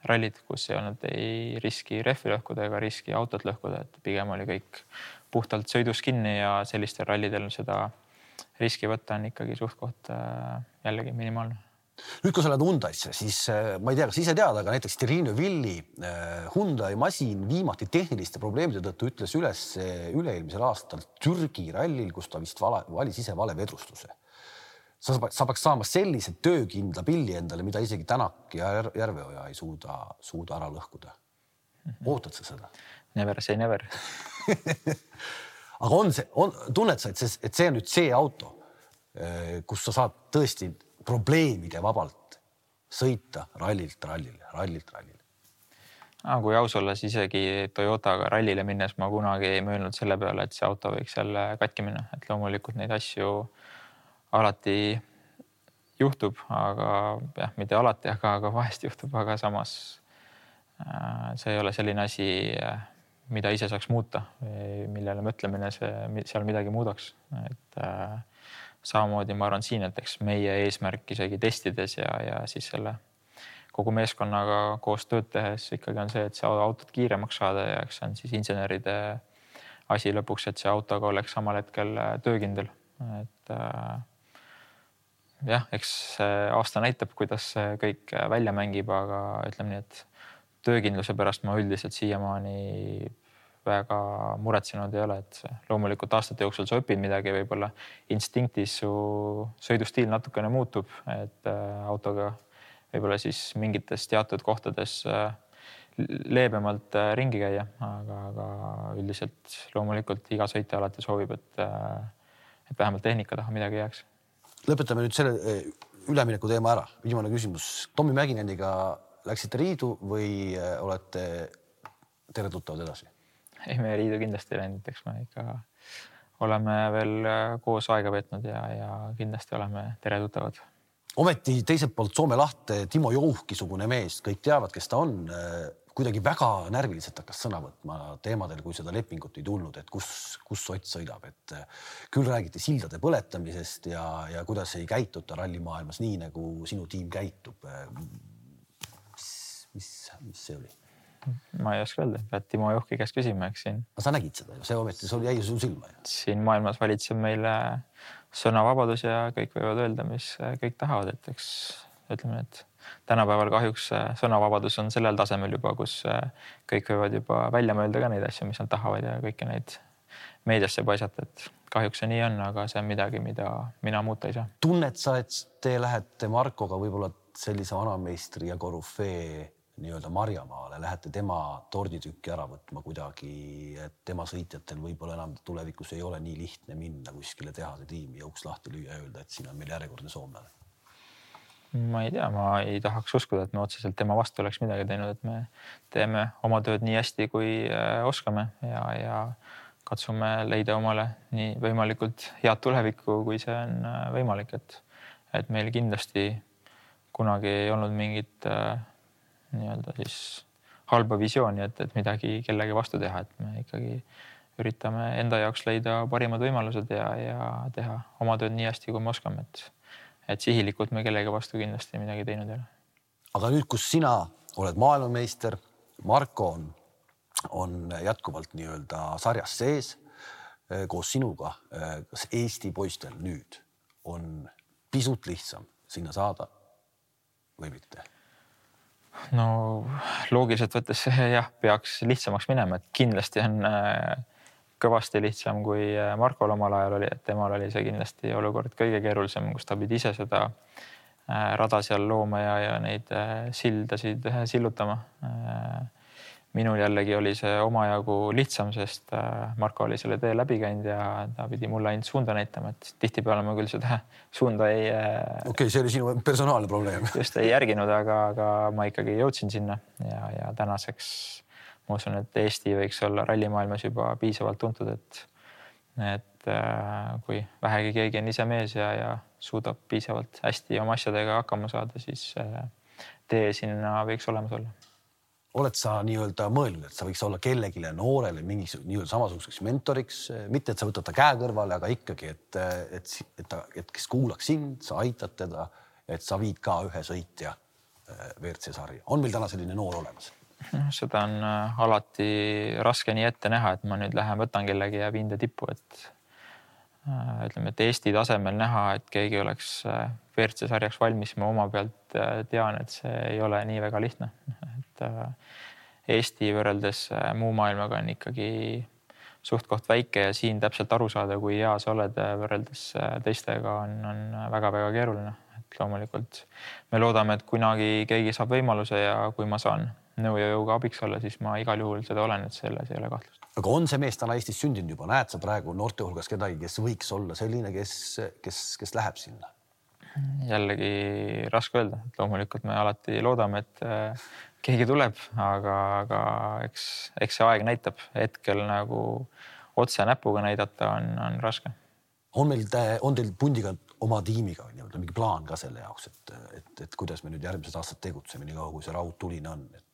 rallid, kus ei olnud ei riski rehvi lõhkuda ega riski autot lõhkuda, et pigem oli kõik puhtalt sõidus kinni ja sellistel rallidel seda riski võtta on ikkagi suht-koht jällegi minimaalne. Nüüd, kui sa oled Hyundai'sse, siis ma ei tea, kas ise tead, aga näiteks Terino Villi Hyundai masin viimati tehniliste probleemide tõttu ütles üles üle-eelmisel aastal Türgi rallil, kus ta vist valis ise vale vedrustuse. Sa peaks saama sellise töökindla pilli endale, mida isegi Tänak ja Järveoja ei suuda ära lõhkuda. Ootad sa seda? Never say never. Aga tunned sa, et see on nüüd see auto, kus sa saad tõesti probleemide vabalt sõita rallilt rallile. Kui aus olla, siis isegi Toyotaga rallile minnes ma kunagi ei mõelnud selle peale, et see auto võiks jälle katki minna. Et loomulikult neid asju alati juhtub, aga jah, mitte alati, aga vahest juhtub, aga samas see ei ole selline asi, mida ise saaks muuta, millele mõtlemine seal midagi muudaks. Et samamoodi ma arvan siin, et eks meie eesmärk isegi testides ja siis selle kogu meeskonnaga koos tööd tehes ikkagi on see, et see autot kiiremaks saada ja eks see on siis inseneride asi lõpuks, et see autoga oleks samal hetkel töökindel. Et jah, eks aasta näitab, kuidas kõik välja mängib, aga ütleme nii, et töökindluse pärast ma üldiselt siiamaani väga muretsenud ei ole, et loomulikult aastate jooksul sa õpid midagi, võib-olla instinktis su sõidustiil natukene muutub, et autoga võib-olla siis mingites teatud kohtades leebemalt ringi käia, aga üldiselt loomulikult iga sõitja alati soovib, et vähemalt tehnika taha midagi jääks. Lõpetame nüüd selle ülemineku teema ära. Viimane küsimus. Tommi Mäkineniga läksite riidu või olete tere tuttavad edasi? Ei, me riidu kindlasti ei läinud, eks me ikka oleme veel koos aega veetnud ja kindlasti oleme tere tuttavad. Ometi teiselt poolt Soome lahte Timo Jouhki-sugune mees, kõik teavad, kes ta on, kuidagi väga närviliselt hakkas sõna võtma teemadel, kui seda lepingut ei tulnud, et kus Ott sõidab. Et küll räägiti sildade põletamisest ja kuidas ei käituta rallimaailmas nii, nagu sinu tiim käitub. Mis see oli? Ma ei oska öelda, pead Timo Jouhki käest küsima, eks siin. Sa nägid seda ju, see ometi jäi sul silma. Siin maailmas valitseb meile sõnavabadus ja kõik võivad öelda, mis kõik tahavad, et eks ütleme, et tänapäeval kahjuks sõnavabadus on sellel tasemel juba, kus kõik võivad juba välja mõelda ka neid asju, mis nad tahavad ja kõiki neid meediasse paisata, et kahjuks see nii on, aga see on midagi, mida mina muuta ei saa. Tunned sa, et te lähete Markoga võib-olla sellise vanameistri ja korüfee nii-öelda Marjamaale, lähete tema torditükki ära võtma kuidagi, et tema sõitjatel võib-olla enam tulevikus ei ole nii lihtne minna kuskile tehase tiimi ja uks lahti lüüa ja öelda, et siin on meil järjekordne soomlane? Ma ei tea, ma ei tahaks uskuda, et me otseselt tema vastu oleks midagi teinud, et me teeme oma tööd nii hästi, kui oskame ja katsume leida omale nii võimalikult head tulevikku, kui see on võimalik, et meil kindlasti kunagi ei olnud mingit nii-öelda siis halba visiooni, et midagi kellegi vastu teha, et me ikkagi üritame enda jaoks leida parimad võimalused ja teha oma tööd nii hästi, kui me oskame, et sihilikult me kellegi vastu kindlasti midagi teinud ei ole. Aga nüüd, kus sina oled maailmameister, Marko on jätkuvalt nii-öelda sarjas sees koos sinuga, kas Eesti poistel nüüd on pisut lihtsam sinna saada või mitte? No loogiliselt võttes jah, peaks lihtsamaks minema, et kindlasti on kõvasti lihtsam, kui Markol omal ajal oli, et temal oli see kindlasti olukord kõige keerulisem, kus ta pidi ise seda rada seal looma ja neid sildasid sillutama. minul jällegi oli see omajagu lihtsam, sest Marko oli selle tee läbi käinud ja ta pidi mulle ainult suunda näitama, et tihtipeale ma küll seda suunda ei... Okei, see oli sinu personaalne probleem. Just ei järginud, aga ma ikkagi jõudsin sinna ja tänaseks ma usun, et Eesti võiks olla rallimaailmas juba piisavalt tuntud, et kui vähegi keegi on ise mees ja suudab piisavalt hästi oma asjadega hakkama saada, siis tee sinna võiks olemas olla. Oled sa nii-öelda mõelnud, et sa võiks olla kellegile noorele mingis nii-öelda samasuguseks mentoriks, mitte et sa võtad ta käe kõrvale, aga ikkagi, et kes kuulaks sind, sa aitad teda, et sa viid ka ühe sõitja WRC sarja. On meil täna selline noor olemas? Seda on alati raske nii ette näha, et ma nüüd lähen võtan kellegi ja viin ta tippu, et ütleme, et Eesti tasemel näha, et keegi oleks WRC sarjaks valmis, ma oma pealt tean, et see ei ole nii väga lihtne. Et Eesti võrreldes muu maailmaga on ikkagi suht koht väike ja siin täpselt aru saada, kui hea sa oled võrreldes teistega on väga-väga keeruline. Et loomulikult me loodame, et kunagi keegi saab võimaluse ja kui ma saan nõu ja jõuga abiks olla, siis ma igal juhul seda olen, et selles ei ole kahtlust. Aga on see mees täna Eestis sündinud juba? Näed sa praegu noorte hulgas kedagi, kes võiks olla selline, kes läheb sinna? Jällegi raske öelda. Et loomulikult me alati loodame, et keegi tuleb, aga eks see aeg näitab. Hetkel nagu otse näpuga näidata on raske. On teil pundiga oma tiimiga mingi plaan ka selle jaoks, et kuidas me nüüd järgmised aastad tegutseme, nii kaua kui see raud tuline on, et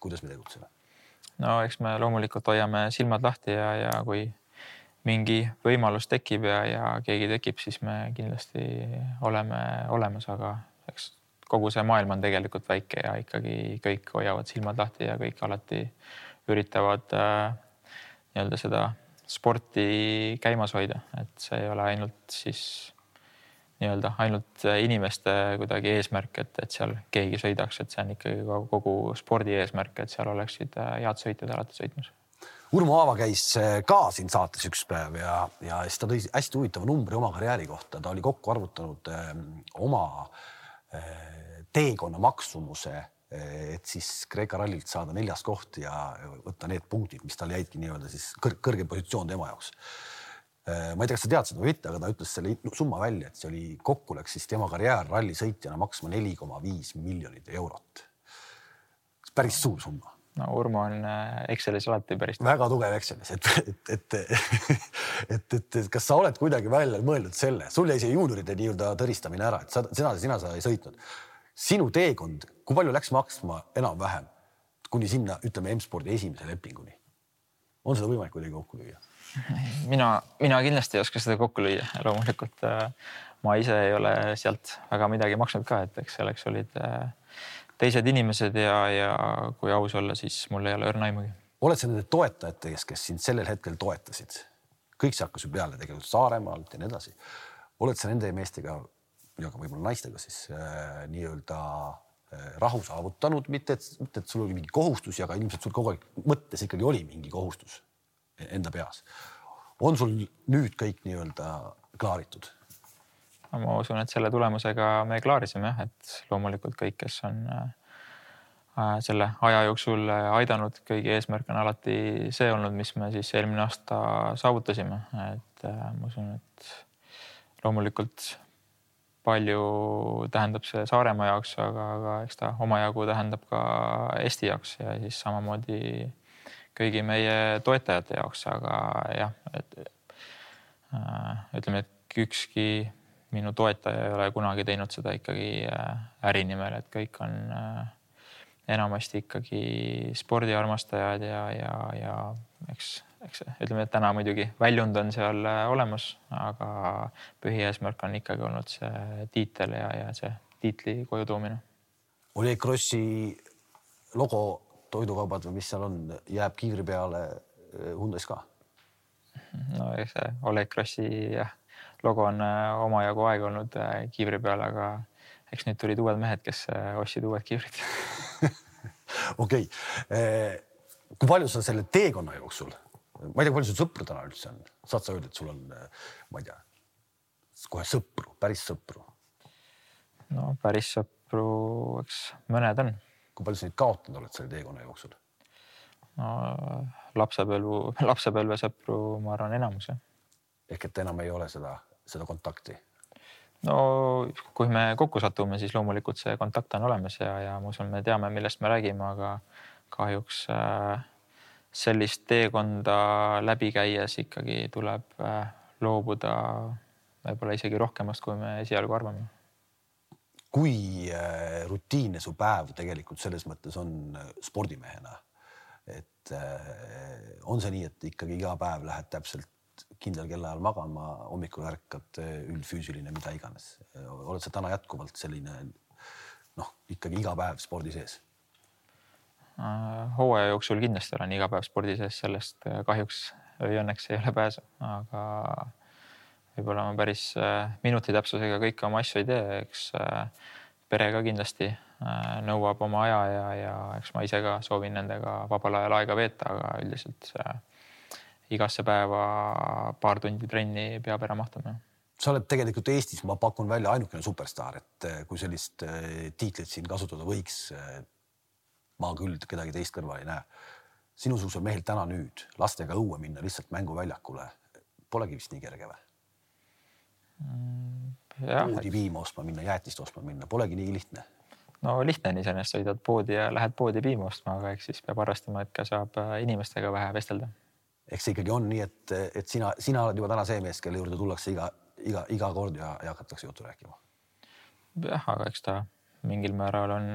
kuidas me tegutseme? No eks me loomulikult hoiame silmad lahti ja kui mingi võimalus tekib ja keegi tekib, siis me kindlasti oleme olemas, aga eks kogu see maailm on tegelikult väike ja ikkagi kõik hoiavad silmad lahti ja kõik alati üritavad nii-öelda seda sporti käimas hoida, et see ei ole ainult siis nii-öelda ainult inimeste kuidagi eesmärk, et seal keegi sõidaks, et see on ikkagi kogu spordi eesmärk, et seal oleksid head sõitjad alati sõitmas. Urmo Aava käis ka siin saates üks päev ja siis ta tõi hästi huvitava numbri oma karjääri kohta. Ta oli kokku arvutanud oma teekonna maksumuse, et siis Kreeka rallilt saada 4. koht ja võtta need punktid, mis tal jäidki nii-öelda siis kõrge positsioon tema jaoks. Ma ei tea, kas sa tead seda või mitte, aga ta ütles selle summa välja, et see oli kokku läks siis tema karjäär rallisõitjana maksma 4,5 miljonit eurot. Päris suur summa. No Urmo on Excelis alati päris. Väga tugev Excelis, et kas sa oled kuidagi välja mõeldud selle? Sul jäi see juunioride nii-öelda tõristamine ära, et sina sa ei sõitnud. Sinu teekond, kui palju läks maksma enam-vähem kuni sinna, ütleme, M-spordi esimese lepinguni? On seda võimalik kuidagi kokku lüüa? Mina kindlasti ei oska seda kokku lüüa. Loomulikult ma ise ei ole sealt väga midagi maksnud ka, et eks selleks olid teised inimesed ja kui aus olla, siis mul ei ole õrna aimagi. Oled sa nende toetajate, kes sind sellel hetkel toetasid? Kõik see hakkas ju peale tegelikult Saaremaalt ja nii edasi. Oled sa nende meestega ja ka võib-olla naistega siis nii-öelda rahu saavutanud, mitte et sul oli mingi kohustus, aga ilmselt sul kogu aeg mõttes ikkagi oli mingi kohustus enda peas. On sul nüüd kõik nii-öelda klaaritud? Ma usun, et selle tulemusega me klaarisime, et loomulikult kõik, kes on selle aja jooksul aidanud, kõigi eesmärk on alati see olnud, mis me siis eelmine aasta saavutasime. Et ma usun, et loomulikult palju tähendab see Saaremaa jaoks, aga eks ta omajagu tähendab ka Eesti jaoks ja siis samamoodi kõigi meie toetajate jaoks, aga jah, ütleme, et ükski minu toetaja ei ole kunagi teinud seda ikkagi äri nimel, et kõik on enamasti ikkagi spordiarmastajad ja eks ütleme, et täna muidugi väljund on seal olemas, aga põhieesmärk on ikkagi olnud see tiitel ja see tiitli koju toomine. Oleg Krossi logo toidukaubad või mis seal on, jääb kiivri peale Hyundais ka? No see Oleg Krossi logo on omajagu aeg olnud kiivri peale, aga eks nüüd tulid uued mehed, kes ostsid uued kiivrid. Okei. Kui palju sa selle teekonna jooksul, ma ei tea, kui palju sul sõpru täna üldse on? Saad sa öelda, et sul on, ma ei tea, kohe sõpru, päris sõpru? No päris sõpru, eks mõned on. Kui palju sa neid kaotanud oled selle teekonna jooksul? No, lapsepõlvesõpru, ma arvan, enamus. Ehk et enam ei ole seda kontakti. No kui me kokku satume, siis loomulikult see kontakt on olemas ja ma usun, me teame, millest me räägime, aga kahjuks sellist teekonda läbi käies ikkagi tuleb loobuda võib-olla isegi rohkemast, kui me esialgu arvame. Kui rutiinne su päev tegelikult selles mõttes on spordimehena, et on see nii, et ikkagi iga päev lähed täpselt kindlal kellaajal magama, hommikul ärkad üldfüüsiline, mida iganes. Oled sa täna jätkuvalt selline, ikkagi iga päev spordi sees? Hooaja jooksul kindlasti olen iga päev spordi sees, sellest kahjuks või õnneks ei ole pääsu, aga võib-olla ma päris minuti täpsusega kõike oma asju ei tee, eks pere ka kindlasti nõuab oma aja ja eks ma ise ka soovin nendega vabal ajal aega veeta, aga üldiselt igasse päeva paar tundi trenni peab ära mahtuma. Sa oled tegelikult Eestis, ma pakun välja ainukene superstaar, et kui sellist tiitlit siin kasutada võiks, ma küll kedagi teist kõrval ei näe. Sinusugusel mehel täna nüüd lastega õue minna lihtsalt mänguväljakule polegi vist nii kerge või? Poodi piima ostma minna, jäätist ostma minna, polegi nii lihtne. No lihtne on iseenesest, sõidad poodi ja lähed poodi piima ostma, aga eks siis peab arvestama, et ka saab inimestega vähe vestelda. Eks see ikkagi on nii, et sina oled juba täna see mees, kelle juurde tullakse iga kord ja hakatakse juttu rääkima. Jah, aga eks ta mingil määral on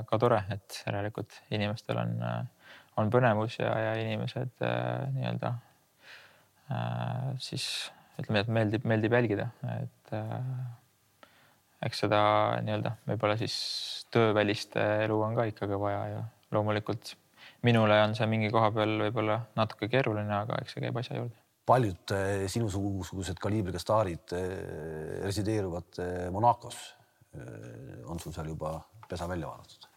ka tore, et järelikult inimestel on põnevus ja inimesed nii-öelda siis ütleme, et meeldib jälgida, et eks seda nii-öelda võib-olla siis töövälist elu on ka ikkagi vaja ja loomulikult minule on see mingi koha peal võib-olla natuke keeruline, aga eks see käib asja juurde. Paljud sinusugused kaliibriga staarid resideeruvad Monacos. On sul seal juba pesa välja vaadatud?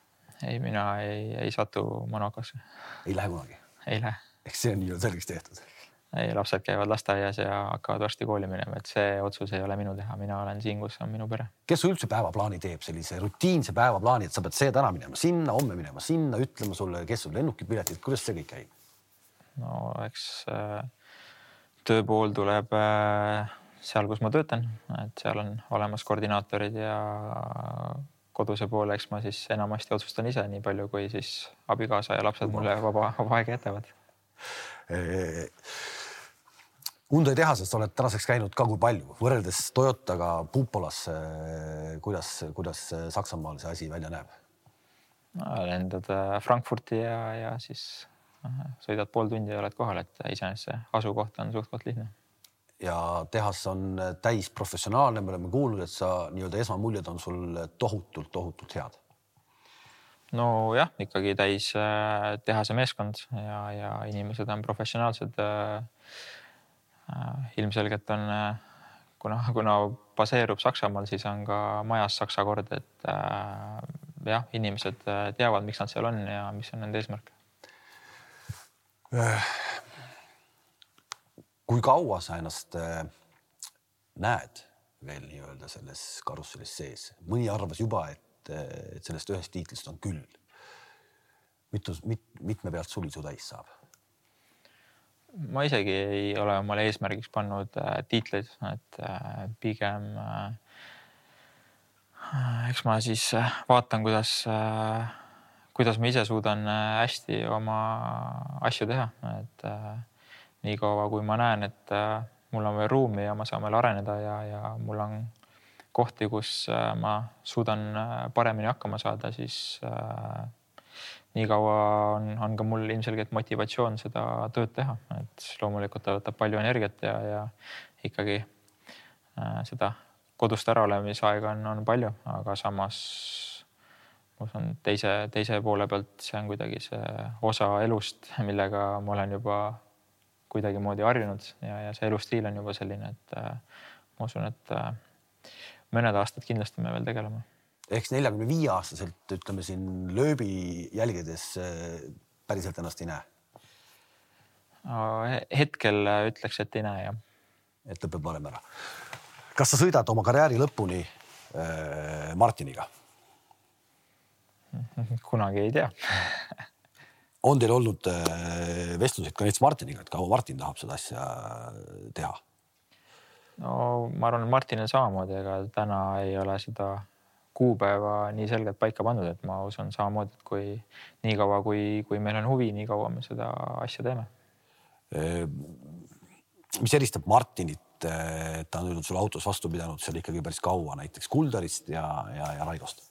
Ei, mina ei satu Monacosse. Ei lähe kunagi? Ei lähe. Eks see on nii selgeks tehtud? Ei, lapsed käivad lasteaias ja hakkavad varsti kooli minema, et see otsus ei ole minu teha. Mina olen siin, kus on minu pere. Kes su üldse päevaplaani teeb, sellise rutiinse päevaplaani, et sa pead see täna minema sinna, homme minema sinna, ütlema sulle, kes sul lennukipiletid, kuidas see kõik käib? No eks tööpool tuleb seal, kus ma töötan, et seal on olemas koordinaatorid ja koduse poole, eks ma siis enamasti otsustan ise nii palju, kui siis abikaasa ja lapsed mulle vaba aega jätavad. Hyundai tehasest oled tänaseks käinud ka kui palju, võrreldes Toyotaga Pupolas, kuidas Saksamaal see asi välja näeb? Lendad Frankfurti ja siis sõidad pool tundi ja oled kohal, et iseenesest see asukoht on suhtkoht lihtne. Ja tehas on täis professionaalne, me oleme kuulnud, et sa nii-öelda esmamuljed on sul tohutult head. No jah, ikkagi täis tehase meeskond ja inimesed on professionaalsed. Ilmselgelt on, kuna baseerub Saksamaal, siis on ka majas Saksa kord, et jah, inimesed teavad, miks nad seal on ja mis on nende eesmärk. Kui kaua sa ennast näed veel nii-öelda selles karusselis sees? Mõni arvas juba, et sellest ühest tiitlist on küll. Mitme pealt suli su täis saab? Ma isegi ei ole omale eesmärgiks pannud tiitleid, et pigem eks ma siis vaatan, kuidas ma ise suudan hästi oma asju teha, et nii kaua, kui ma näen, et mul on veel ruumi ja ma saan veel areneda ja mul on kohti, kus ma suudan paremini hakkama saada, siis nii kaua on ka mul ilmselgelt motivatsioon seda tööd teha, et loomulikult ta võtab palju energiat ja ikkagi seda kodust äraleemisaega on palju, aga samas teise poole pealt see on kuidagi see osa elust, millega ma olen juba kuidagi moodi harjunud ja see elustiil on juba selline, et ma usun, et mõned aastad kindlasti me veel tegeleme. Eks 45-aastaselt, ütleme siin lööbi jälgedes päriselt ennast ei näe? Hetkel ütleks, et ei näe, jah. Et lõpeb varem ära. Kas sa sõidad oma karjääri lõpuni Martiniga? Kunagi ei tea. On teil olnud vestluseid ka näiteks Martiniga, et kaua Martin tahab seda asja teha? No ma arvan, et Martinil samamoodi, ega täna ei ole seda kuupäeva nii selgelt paika pandud, et ma usun samamoodi, et kui nii kaua, kui meil on huvi, nii kaua me seda asja teeme. Mis eristab Martinit, et ta on nüüd sulle autos vastu pidanud seal ikkagi päris kaua näiteks Kulderist ja Raigost?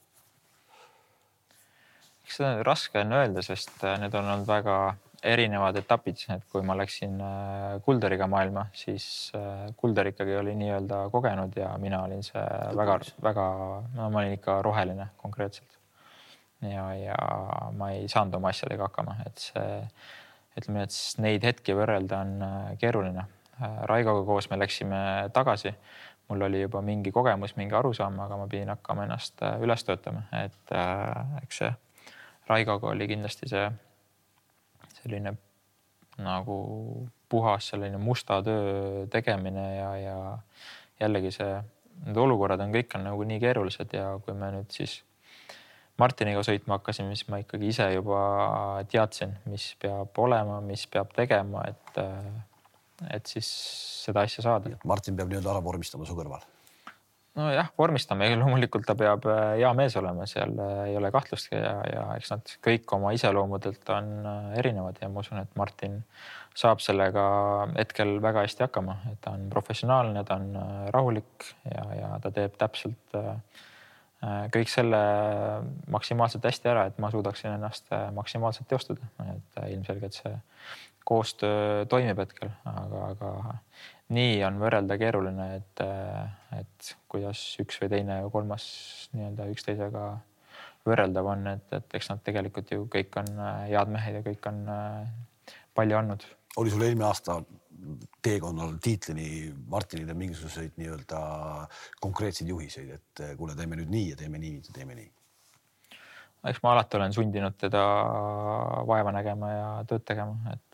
Eks seda on raske on öelda, sest need on olnud väga erinevad etapid, et kui ma läksin Kulderiga maailma, siis Kulder ikkagi oli nii-öelda kogenud ja mina olin see väga, ma olin ikka roheline konkreetselt. Ja ma ei saanud oma asjadega hakkama, et see, ütleme, et neid hetki võrrelda on keeruline. Raigoga koos me läksime tagasi. Mul oli juba mingi kogemus, mingi arusaam, aga ma pidin hakkama ennast üles töötama, et eks see Raigoga oli kindlasti see selline nagu puhas selline musta töö tegemine ja jällegi need olukorrad on kõik on nagu nii keerulised ja kui me nüüd siis Martiniga sõitma hakkasin, mis ma ikkagi ise juba teadsin, mis peab olema, mis peab tegema, et siis seda asja saada. Martin peab nüüd ära vormistama su kõrval. No jah, vormistame. Loomulikult ta peab hea mees olema, seal ei ole kahtlustki ja eks nad kõik oma iseloomudelt on erinevad ja ma usun, et Martin saab sellega hetkel väga hästi hakkama, et ta on professionaalne, ta on rahulik ja ta teeb täpselt kõik selle maksimaalselt hästi ära, et ma suudaksin ennast maksimaalselt teostada, et ilmselgelt see koostöö toimib hetkel, aga nii on võrrelda keeruline, et kuidas üks või teine ja kolmas nii-öelda üksteisega võrreldav on, et eks nad tegelikult ju kõik on head mehed ja kõik on palju andnud. Oli sul eelmine aasta teekonnal tiitlini Martinile mingisuguseid nii-öelda konkreetseid juhiseid, et kuule, teeme nüüd nii ja teeme nii ja teeme nii? Eks ma alati olen sundinud teda vaeva nägema ja tööd tegema, et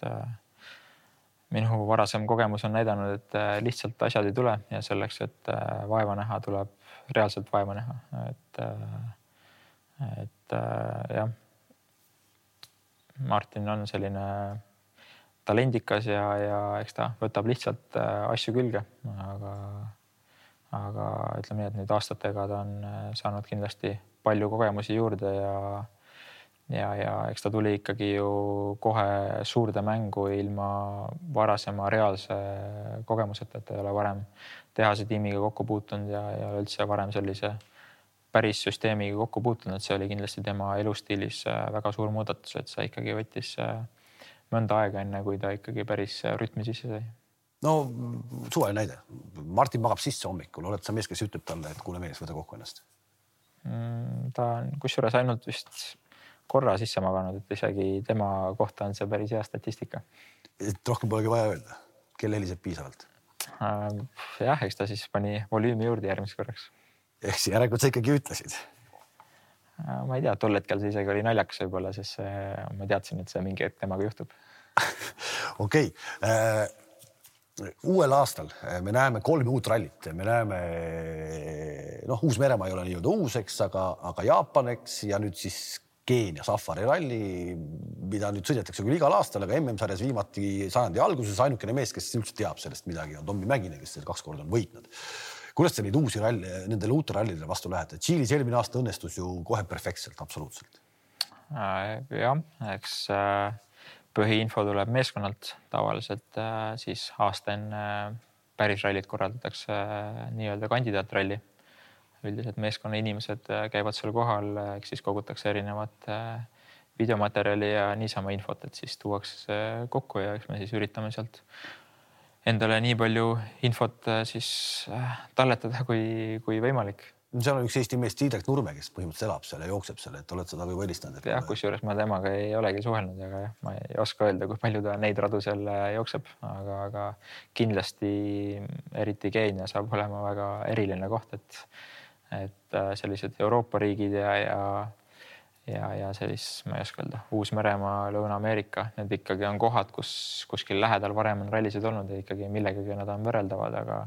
minu varasem kogemus on näidanud, et lihtsalt asjad ei tule ja selleks, et vaeva näha, tuleb reaalselt vaeva näha, et jah, Martin on selline talendikas ja eks ta võtab lihtsalt asju külge, aga ütleme nii, et nüüd aastatega ta on saanud kindlasti palju kogemusi juurde ja eks ta tuli ikkagi ju kohe suurde mängu ilma varasema reaalse kogemuseta, et ta ei ole varem tehase tiimiga kokku puutunud ja üldse varem sellise päris süsteemiga kokku puutunud, et see oli kindlasti tema elustiilis väga suur muudatus, et see ikkagi võttis mõnda aega enne, kui ta ikkagi päris rütmi sisse sai. No suvaline näide. Martin magab sisse hommikul, oled sa mees, kes ütleb talle, et kuule mees, võta kokku ennast? Ta on kusjuures ainult vist korra sisse maganud, et isegi tema kohta on see päris hea statistika. Rohkem polegi vaja öelda, kelle heliseb piisavalt? Jah, eks ta siis pani volüümi juurde järgmiseks korraks. Ehk järelikult sa ikkagi ütlesid? Ma ei tea, tol hetkel see isegi oli naljakas võib-olla, sest ma teadsin, et see mingi hetk temaga juhtub. Okei. Uuel aastal me näeme 3 uut rallit. Me näeme, Uus-Meremaa ei ole nii-öelda uus, eks, aga Jaapan, eks, ja nüüd siis Keenia Safari ralli, mida nüüd sõidetakse küll igal aastal, aga MM-sarjas viimati sajandi alguses ainukene mees, kes üldse teab sellest midagi, on Tommi Mäkinen, kes 2 korda on võitnud. Kuidas sa neid uusi ralli, nendele uute rallidele vastu lähed? Tšiilis eelmine aasta õnnestus ju kohe perfektselt, absoluutselt. Jah, eks põhiinfo tuleb meeskonnalt tavaliselt, siis aasta enne päris rallit korraldatakse nii-öelda kandidaatralli. Üldiselt meeskonna inimesed käivad seal kohal, eks siis kogutakse erinevat videomaterjali ja niisama infot, et siis tuuakse kokku ja eks me siis üritame sealt endale nii palju infot siis talletada kui võimalik. Seal on üks Eesti mees Tiidrek Nurme, kes põhimõtteliselt elab seal ja jookseb seal, et oled seda või võlistanud? Jah, kusjuures ma temaga ei olegi suhelnud, aga jah, ma ei oska öelda, kui palju ta neid radu seal jookseb, aga kindlasti eriti Keenia saab olema väga eriline koht, et sellised Euroopa riigid ja sellis, ma ei oska öelda, Uus-Meremaa, Lõuna-Ameerika, need ikkagi on kohad, kus kuskil lähedal varem on rallisid olnud ja ikkagi millegagi nad on võrreldavad, aga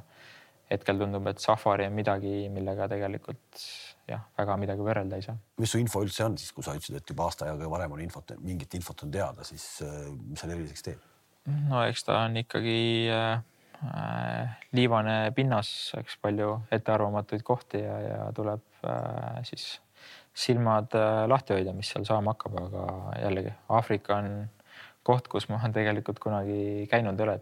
hetkel tundub, et Safari on midagi, millega tegelikult väga midagi võrrelda ei saa. Mis su info üldse on siis, kui sa ütlesid, et juba aasta ajaga varem on mingit infot on teada, siis mis seal eriliseks teeb? No eks ta on ikkagi liivane pinnas, eks palju ettearvamatuid kohti ja tuleb siis silmad lahti hoida, mis seal saama hakkab, aga jällegi Aafrika on koht, kus ma olen tegelikult kunagi käinud üle,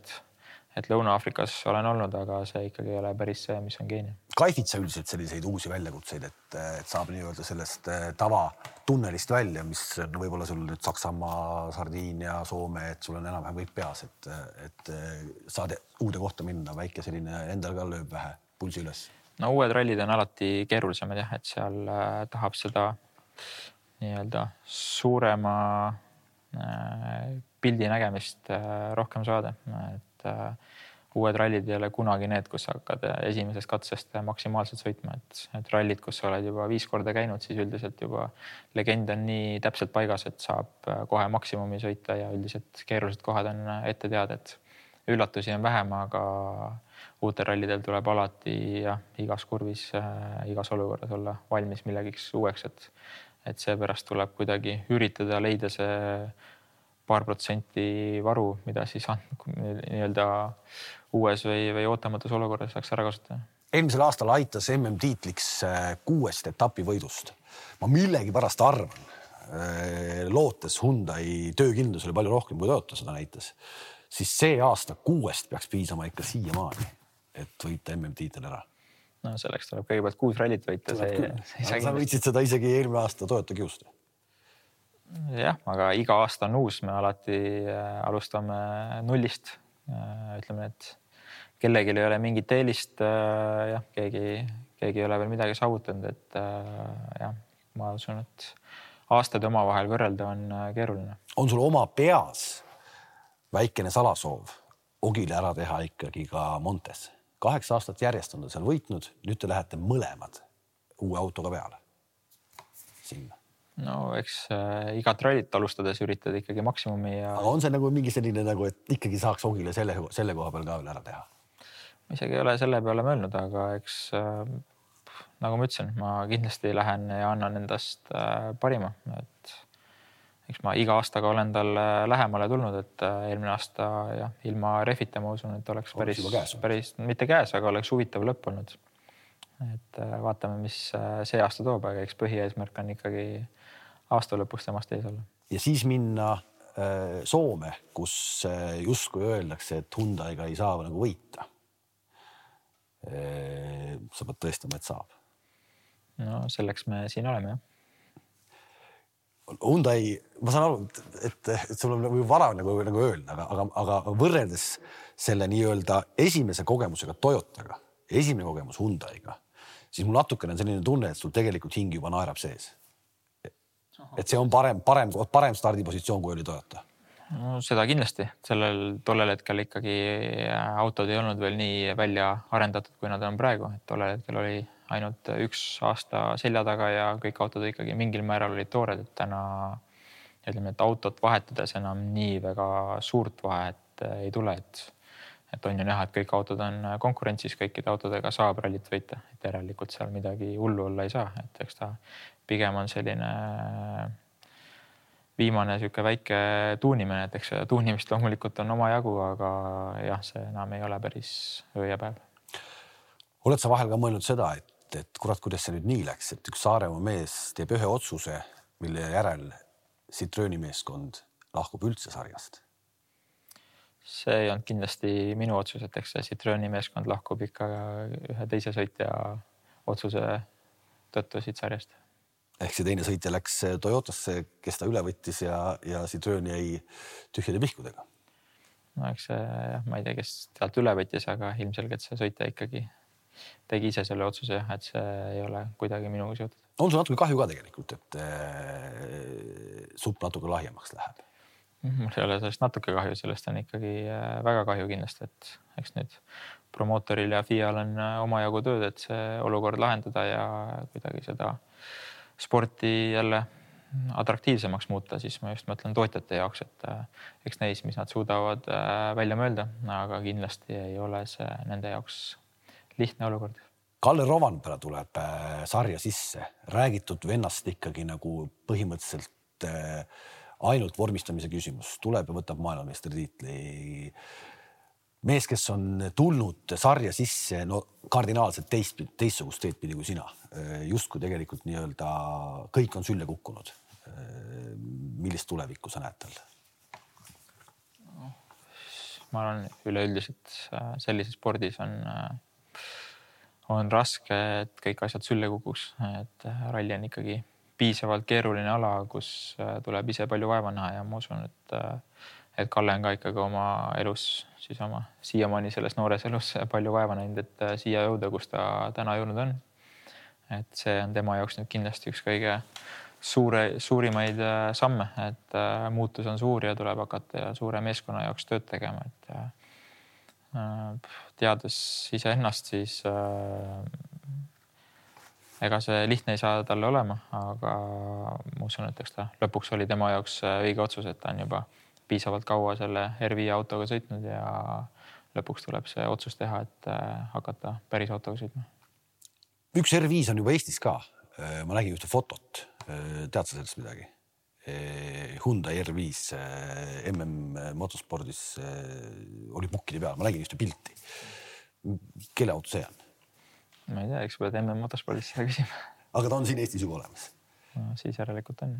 et Lõuna-Aafrikas olen olnud, aga see ikkagi ei ole päris see, mis on Keenia. Kaifid sa üldiselt selliseid uusi väljakutseid, et saab nii-öelda sellest tavatunnelist välja, mis on võib-olla sul nüüd Saksamaa, Sardiinia, Soome, et sul on enam-vähem kõik peas, et saad uude kohta minna, väike selline endal ka lööb vähe pulsi üles. No uued rallid on alati keerulisemad jah, et seal tahab seda nii-öelda suurema pildi nägemist rohkem saada, et uued rallid ei ole kunagi need, kus hakkad esimesest katsest maksimaalselt sõitma, et rallid, kus sa oled juba 5 korda käinud, siis üldiselt juba legend on nii täpselt paigas, et saab kohe maksimumi sõita ja üldiselt keerulised kohad on ette teada, et üllatusi on vähem, aga uutel rallidel tuleb alati igas kurvis, igas olukorras olla valmis millegiks uueks, et seepärast tuleb kuidagi üritada leida see paar protsenti varu, mida siis nii-öelda uues või ootamatus olukorras saaks ära kasutada. Eelmisel aastal aitas MM-tiitliks 6 etapi võidust. Ma millegi pärast arvan, lootes Hyundai töökindlus oli palju rohkem, kui Toyota seda näitas, siis see aasta 6 peaks piisama ikka siiamaani, et võita MM-tiitel ära. No selleks tuleb kõigepealt 6 rallit võita. Sa võitsid seda isegi eelmine aasta Toyota kiust. Jah, aga iga aasta on uus, me alati alustame nullist. Ütleme, et kellegi ei ole mingit eelist, keegi ei ole veel midagi saavutanud, et ma usun, et aastad omavahel võrrelda on keeruline. On sul oma peas väikene salasoov Ogile ära teha ikkagi ka Montes? 8 aastat järjest on ta seal võitnud, nüüd te lähete mõlemad uue autoga peale sinna. No eks igat rallit alustades üritad ikkagi maksimumi. Aga on see nagu mingi selline, et ikkagi saaks Ogile selle koha peal ka veel ära teha? Ma isegi ei ole selle peale mõelnud, aga eks nagu ma ütlesin, ma kindlasti lähen ja annan endast parima. Et eks ma iga aastaga olen tal lähemale tulnud, et eelmine aasta ilma refita ma usun, et oleks päris mitte käes, aga oleks huvitav lõpp olnud. Et vaatame, mis see aasta toob, aga eks põhieesmärk on ikkagi aasta lõpus temast ees olla. Ja siis minna Soome, kus justkui öeldakse, et Hyundai'ga ei saa nagu võita. Sa pead tõestama, et saab. No selleks me siin oleme, jah. Hyundai, ma saan aru, et sul on vara nagu öelda, aga võrreldes selle nii-öelda esimese kogemusega Toyotaga, esimene kogemus Hyundai'ga, siis mul natukene on selline tunne, et sul tegelikult hing juba naerab sees. Et see on parem stardipositsioon, kui oli Toyota. No, seda kindlasti. Tollel hetkel ikkagi autod ei olnud veel nii välja arendatud, kui nad on praegu. Et tollel hetkel oli ainult 1 aasta selja taga ja kõik autod ikkagi mingil määral olid toored. Et täna ütleme, et autot vahetades enam nii väga suurt vahet ei tule. Et on ju näha, et kõik autod on konkurentsis, kõikide autodega saab rallit võita. Et järelikult seal midagi hullu olla ei saa. Et eks ta pigem on selline viimane siuke väike tuunimine, et eks tuunimist loomulikult on oma jagu, aga jah, see enam ei ole päris öö ja päev. Oled sa vahel ka mõelnud seda, et kurat, kuidas see nüüd nii läks, et üks Saaremaa mees teeb ühe otsuse, mille järel Citrooni meeskond lahkub üldse sarjast? See ei olnud kindlasti minu otsus, et eks see Citrooni meeskond lahkub ikka ühe teise sõitja otsuse tõttu siit sarjast. Ehk see teine sõitja läks Toyotasse, kes ta üle võttis ja Citroen jäi tühjade pihkudega. No eks see, ma ei tea, kes tealt üle võttis, aga ilmselgelt see sõitja ikkagi tegi ise selle otsuse, et see ei ole kuidagi minuga seotud. On sul natuke kahju ka tegelikult, et supp natuke lahjemaks läheb? Mul ei ole sellest natuke kahju, sellest on ikkagi väga kahju kindlasti, et eks nüüd promootoril ja FIA-l on omajagu tööd, et see olukord lahendada ja kuidagi seda sporti jälle atraktiivsemaks muuta, siis ma just mõtlen tootjate jaoks, et eks neis, mis nad suudavad välja mõelda, aga kindlasti ei ole see nende jaoks lihtne olukord. Kalle Rovanpera tuleb sarja sisse, räägitud vennast ikkagi nagu põhimõtteliselt ainult vormistamise küsimus. Tuleb ja võtab maailmameistritiitli. Mees, kes on tulnud sarja sisse kardinaalselt teistsugust teed pidi kui sina. Just kui tegelikult nii-öelda kõik on sülle kukkunud. Millist tulevikku sa näed tal? Ma arvan, üleüldiselt sellises spordis on raske, et kõik asjad sülle kukuks. Et ralli on ikkagi piisavalt keeruline ala, kus tuleb ise palju vaeva näha ja ma usun, et Kalle on ka ikkagi oma elus, siis oma siiamaani selles noores elus palju vaeva näinud, et siia jõuda, kus ta täna jõudnud on. Et see on tema jaoks nüüd kindlasti üks kõige suurimaid samme, et muutus on suur ja tuleb hakata ja suure meeskonna jaoks tööd tegema. Et teades iseennast, siis ega see lihtne ei saa talle olema, aga ma usun, et eks ta lõpuks oli tema jaoks õige otsus, et ta on juba piisavalt kaua selle R5 autoga sõitnud ja lõpuks tuleb see otsus teha, et hakata päris autoga sõitma. Üks R5 on juba Eestis ka. Ma nägin ühte fotot. Tead sa sellest midagi? Hyundai R5 MM motospordis oli pukkide peal. Ma nägin ühte pilti. Kelle auto see on? Ma ei tea, eks pead MM motospordis seda küsima. Aga ta on siin Eestis juba olemas? No, siis järelikult on.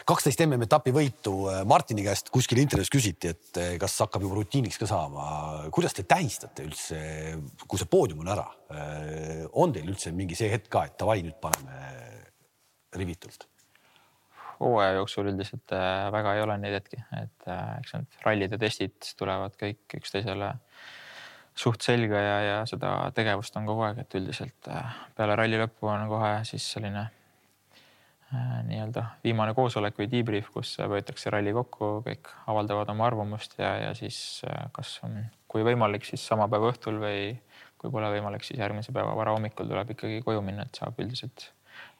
12 MM etapi võitu. Martini käest kuskil intervjuus küsiti, et kas hakkab juba rutiiniks ka saama. Kuidas te tähistate üldse, kui see poodium on ära? On teil üldse mingi see hetk ka, et tavai nüüd paneme rivitult? Hooaja jooksul üldiselt väga ei ole neid hetki. Et eks need rallid ja testid tulevad kõik üksteisele suht selga ja seda tegevust on kogu aeg, et üldiselt peale ralli lõppu on kohe siis selline nii-öelda viimane koosolek või debrief, kus võetakse ralli kokku, kõik avaldavad oma arvamust ja siis kas on, kui võimalik, siis sama päeva õhtul või kui pole võimalik, siis järgmise päeva vara hommikul tuleb ikkagi koju minna, et saab üldiselt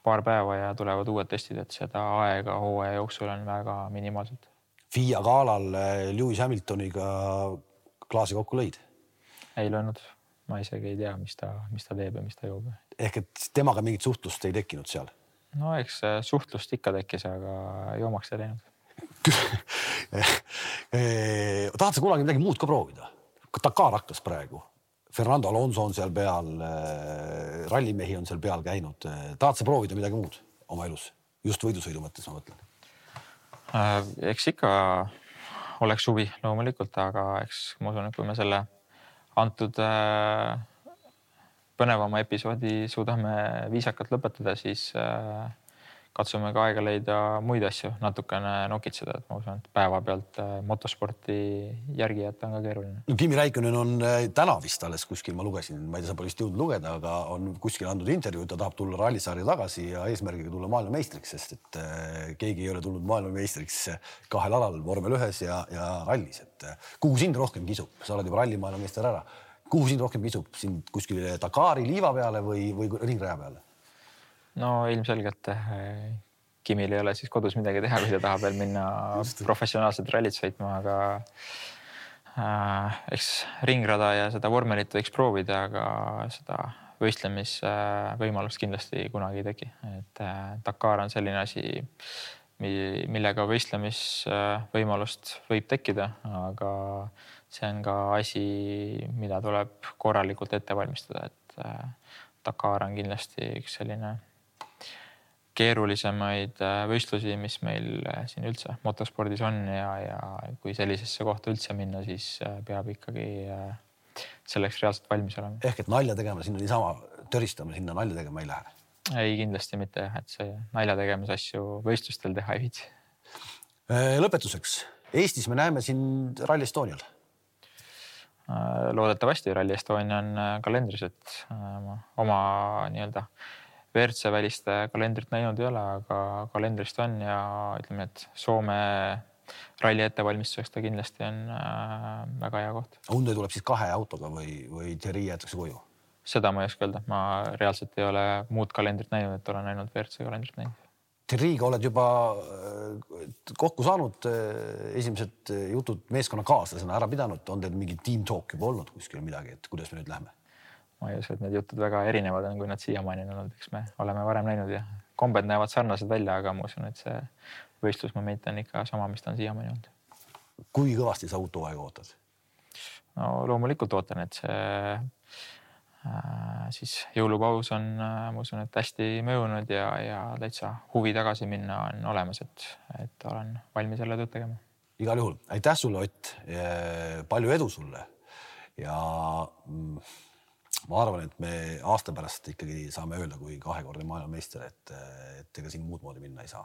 paar päeva ja tulevad uued testid, et seda aega hooaja jooksul on väga minimaalselt. FIA galal Lewis Hamiltoniga klaasi kokku lõid? Ei löönud. Ma isegi ei tea, mis ta teeb ja mis ta joob. Ehk et temaga mingit suhtlust ei tekkinud seal? No eks suhtlust ikka tekkis, aga joomaks ei läinud. Tahad sa kunagi midagi muud ka proovida? Dakar hakkas praegu. Fernando Alonso on seal peal, rallimehi on seal peal käinud. Tahad sa proovida midagi muud oma elus? Just võidusõidu mõttes ma mõtlen. Eks ikka oleks suvi loomulikult, aga eks ma usun, et kui me selle antud põnevama episoodi suudame viisakalt lõpetada, siis katsume ka aega leida muid asju, natukene nokitseda, et ma usun, et päeva pealt motosporti järgi jätta on ka keeruline. No, Kimi Räikkönen on täna vist alles kuskil, ma lugesin, ma ei tea, sa pole vist jõudnud lugeda, aga on kuskil andnud intervjuu, ta tahab tulla rallisarja tagasi ja eesmärgiga tulla maailmameistriks, sest et keegi ei ole tulnud maailmameistriks kahel alal, vormel 1 ja rallis. Et kuhu sind rohkem kisub? Sa oled juba ralli maailmameister ära. Kuhu sind rohkem kisub? Sind kuskil Dakari liiva peale või ringraja peale? No ilmselgelt Kimil ei ole siis kodus midagi teha, kui ta tahab veel minna professionaalselt rallit sõitma, aga eks ringrada ja seda vormelit võiks proovida, aga seda võistlemisvõimalust kindlasti kunagi ei teki. Et Dakar on selline asi, millega võistlemisvõimalust võib tekkida, aga see on ka asi, mida tuleb korralikult ette valmistada, et Dakar on kindlasti üks selline keerulisemaid võistlusi, mis meil siin üldse motospordis on ja kui sellisesse kohta üldse minna, siis peab ikkagi selleks reaalselt valmis olema. Ehk et nalja tegema sinna niisama töristama, sinna nalja tegema ei lähe? Ei, kindlasti mitte, et see nalja tegemise asju võistlustel teha ei viitsi. Lõpetuseks. Eestis me näeme siin Rally Estonial. Loodetavasti Rally Estonia on kalendris, et oma nii-öelda WRC väliste kalendrit näinud ei ole, aga kalendrist on ja ütleme, et Soome ralli ettevalmistuseks ta kindlasti on väga hea koht. Hyundai tuleb siis 2 autoga või Thierry jäetakse koju? Seda ma ei oska öelda. Ma reaalselt ei ole muud kalendrit näinud, et olen ainult WRC kalendrit näinud. Thierry'ga oled juba kokku saanud, esimesed jutud meeskonna kaaslasena ära pidanud, on teil mingi team talk juba olnud kuskil midagi, et kuidas me nüüd lähme? ma ei usu, et need jutud väga erinevad on, kui nad siiamaani on olnud, eks me oleme varem näinud ja kombed näevad sarnased välja, aga ma usun, et see võistlusmoment on ikka sama, mis ta on siiamaani olnud. Kui kõvasti sa uut hooaega ootad? No loomulikult ootan, et see siis jõulupaus on, ma usun, et hästi mõjunud ja täitsa huvi tagasi minna on olemas, et olen valmis jälle tööd tegema. Igal juhul. Aitäh sulle, Ott. Palju edu sulle. Ja ma arvan, et me aasta pärast ikkagi saame öelda, kui 2-kordne maailmameister, et ega siin muud moodi minna ei saa.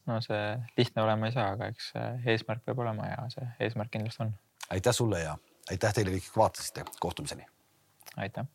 No see lihtne olema ei saa, aga eks eesmärk peab olema ja see eesmärk kindlasti on. Aitäh sulle ja aitäh teile kõik vaatasite. Kohtumiseni. Aitäh.